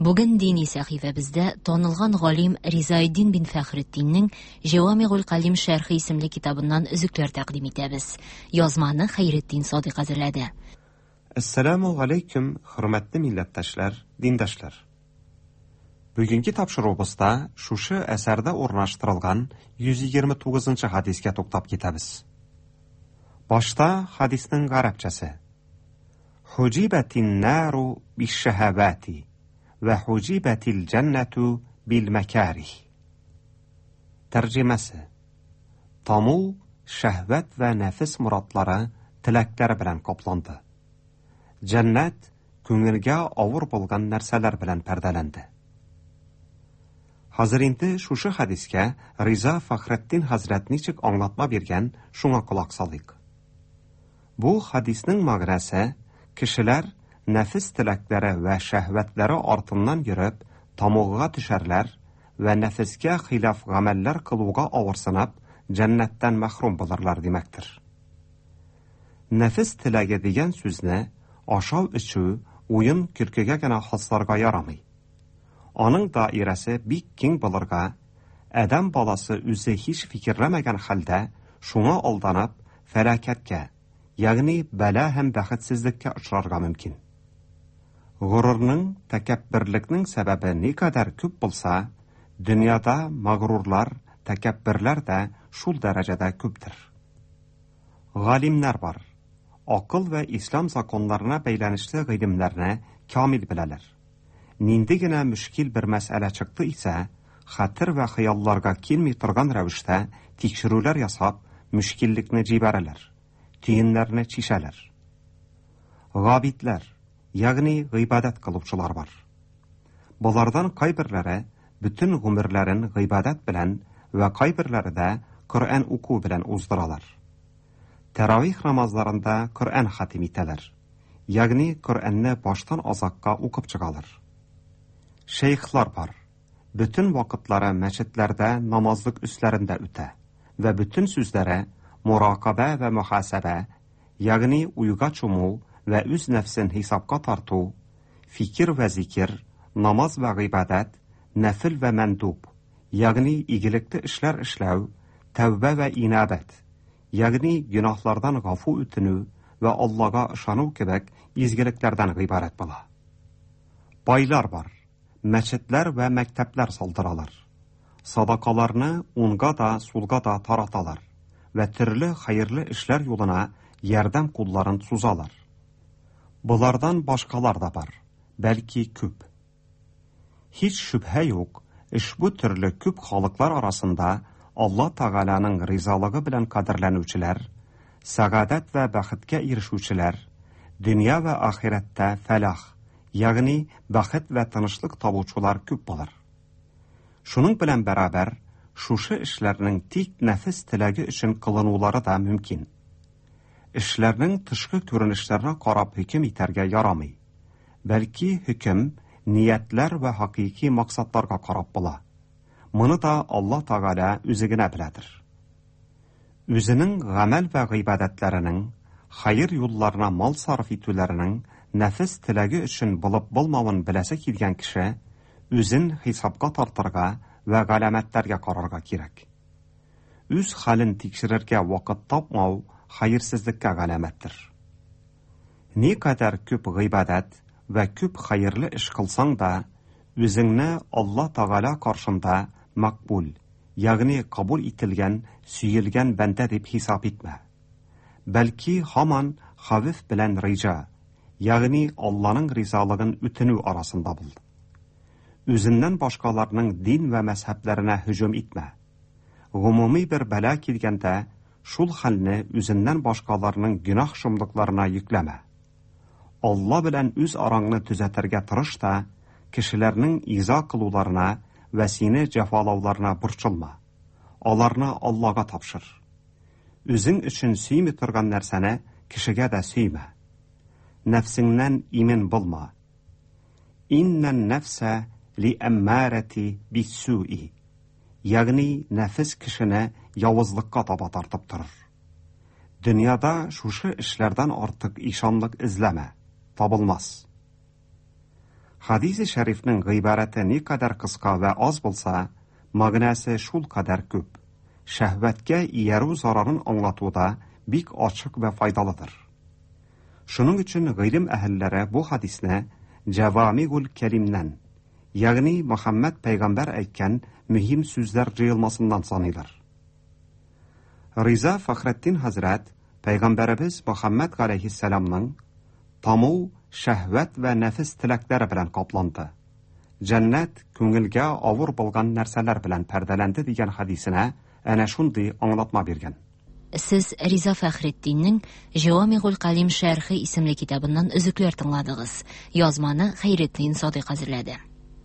бүген дини сәхифәбездә танылган галим Ризаэддин бин Фәхретдиннең Җавамигул Калим шәрхе исемле китабыннан өзекләр тәкъдим итәбез. Язманы Хәйретдин Садыйк әзерләде. Әссәламу алейкум, хөрмәтле милләттәшләр, диндашлар. Бүгенге тапшыруыбызда шушы әсәрдә урнаштырылган йөз егерме тугызынчы хадискә туктап китәбез. Башта хадисның гарәпчәсе. Хуҗибәтин нару бишшәһәвати ва хуҗибәтил җәннәту бил мәкарих. Тәрҗемәсе: Таму шәһвәт вә нәфис морадлары теләкләре белән капланды. Җәннәт күңелгә авыр булган нәрсәләр белән пәрдәләнде. Хәзер инде шушы хадискә Риза Фәхретдин хәзрәт ничек аңлатма биргән, шуңа колак салыйк. Бу хадисның мәгънәсе: кешеләр нәфис теләкләре вә шәһвәтләре артыннан йөреп, тамугга төшәрләр вә нәфискә хилаф гамәлләр кылуга авырсынып, җәннәттән мәхрүм булырлар димәктер. Нәфис теләге дигән сүзне ашау-эчү, уен көлкегә генә хасларга ярамый. Аның даирәсе бик киң булырга, адәм баласы үзе һич фикерләмәгән хәлдә шуңа алданып, фәләкәткә, ягъни бәла һәм бәхетсезлеккә очрарга мөмкин. Ғурурның, тәкәбберлекнең сәбәбе никадәр күп булса, дөньяда мәгърурлар, тәкәбберләр дә шул дәрәҗәдә күптер. Галимнәр бар. Акыл вә ислам законнарына бәйләнешле гыйлемнәрне камил беләләр. Нинди генә мөшкил бер мәсьәлә чыкты исә, хәтер вә хыялларга килми торган рәвештә тикшерүләр ясап, мөшкиллекне җибәрәләр, төеннәрне чишәләр. Габидләр, ягъни гыйбадәт кылучылар бар. Болардан кайберләре бөтен гомерләрен гыйбадәт белән вә кайберләре дә Коръән уку белән уздыралар. Тәравих намазларында Коръән хатим итәләр, ягъни Коръәнне баштан азакка укып чыгалар. Шейхлар бар. Бөтен вакытлары мәчетләрдә намазлык өсләрендә үтә вә бөтен сүзләре муракабә вә мөхасәбә, ягъни уйга чуму вә үз нәфсен хисапка тарту, фикер вә зикер, намаз вә гыйбадәт, нәфил вә мәндуб, ягъни игелекле эшләр эшләү, тәүбә вә инабәт, ягъни гөнаһлардан гафу үтенү вә Аллага ышану кебек изгелекләрдән гыйбарәт була. Байлар бар. Мәчетләр вә мәктәпләр салдыралар. Садакаларны уңга да, сулга да тараталар вә төрле хәерле эшләр юлына ярдәм кулларын сузалар. Болардан башкалар да бар, бәлки күп. Һич шөбһә юк, ошбу төрле күп халыклар арасында Алла Тәгаләнең ризалыгы белән кадерләнүчеләр, сәгадәт вә бәхеткә ирешүчеләр, дөнья вә ахирәттә фәлах, ягъни бәхет вә тынычлык табучылар күп булыр. Шуның белән бәрабәр, шушы эшләрнең тик нәфис теләге өчен кылынулары да мөмкин. Эшләрнең тышкы күренешләренә карап хөкем итәргә ярамый. Бәлки хөкем ниятләр вә хакыйки максатларга карап була. Моны да Алла Тәгалә үзе генә беләдер. Үзенең гамәл вә гыйбадәтләренең, хәер юлларына мал сарыф итүләренең нәфес теләге өчен булып булмавын беләсе килгән кеше үзен хисапка тартырга вә галәмәтләргә карарга кирәк. Үз хәлен тикшерергә вакыт тапмау хәерсезлеккә галәмәттер. Ни кадәр күп гыйбадәт вә күп хәерле эш кылсаң да, үзеңне Алла Тәгалә каршында мәкбул, ягъни кабул ителгән, сөелгән бәндә дип хисап итмә. Бәлки һаман хәвеф белән риҗа, ягъни Алланың ризалыгын үтенү арасында бул. Үзеннән башкаларның дин вә мәзһәбләренә һөҗүм итмә. Гомуми бер бәла килгәндә, шул хәлне үзеннән башкаларның гөнаһ шомлыкларына йөкләмә. Алла белән үз араңны төзәтергә тырыш та, кешеләрнең иза кылуларына вә сине җәфалауларына борчылма. Аларны Аллага тапшыр. Үзең өчен сөйми торган нәрсәне кешегә дә сөймә. Нәфсеңнән имин булма. Иннән нәфсә ли әммарәти биссуи. Ягъни нәфес кешене явызлыкка таба тартып торыр. Дөньяда шушы эшләрдән артык ишанлык эзләмә, табылмас. Хадисе шәрифнең гыйбарәте никадәр кыска вә аз булса, мәгънәсе шул кадәр күп. Шәһвәткә иярү зарарын аңлатуда бик ачык вә файдалыдыр. Шуның өчен гыйлем әһелләре бу хадисне Җавамигул Кәлимнән, ягъни Мөхәммәд пәйгамбәр әйткән мөһим сүзләр җыелмасыннан саныйлар. Риза Фәхретдин хәзрәт пәйгамбәребез Мөхәммәд галәйһиссәламның таму шәһвәт вә нәфес теләкләре белән капланды. Җәннәт күңелгә авыр булган нәрсәләр белән пәрдәләнде дигән хадисенә әнә шундый аңлатма биргән. Сез Риза Фәхретдиннең Җавамигул Калим шәрхе исемле китабыннан өзекләр тыңладыгыз. Язманы Хәйретдин Садыйк әзерләде.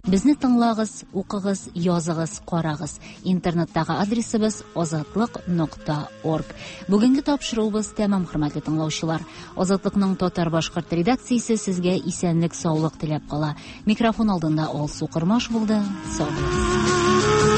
Безне тыңлагыз, укыгыз, языгыз, карагыз. Интернеттагы адресыбыз азатлык нокта орг. Бүгенге тапшыруыбыз тәмам, хөрмәтле тыңлаучылар. Азатлыкның татар-башкорт редакциясе сезгә исәнлек, саулык теләп кала. Микрофон алдында Алсу Кормаш булды. Сау булыгыз.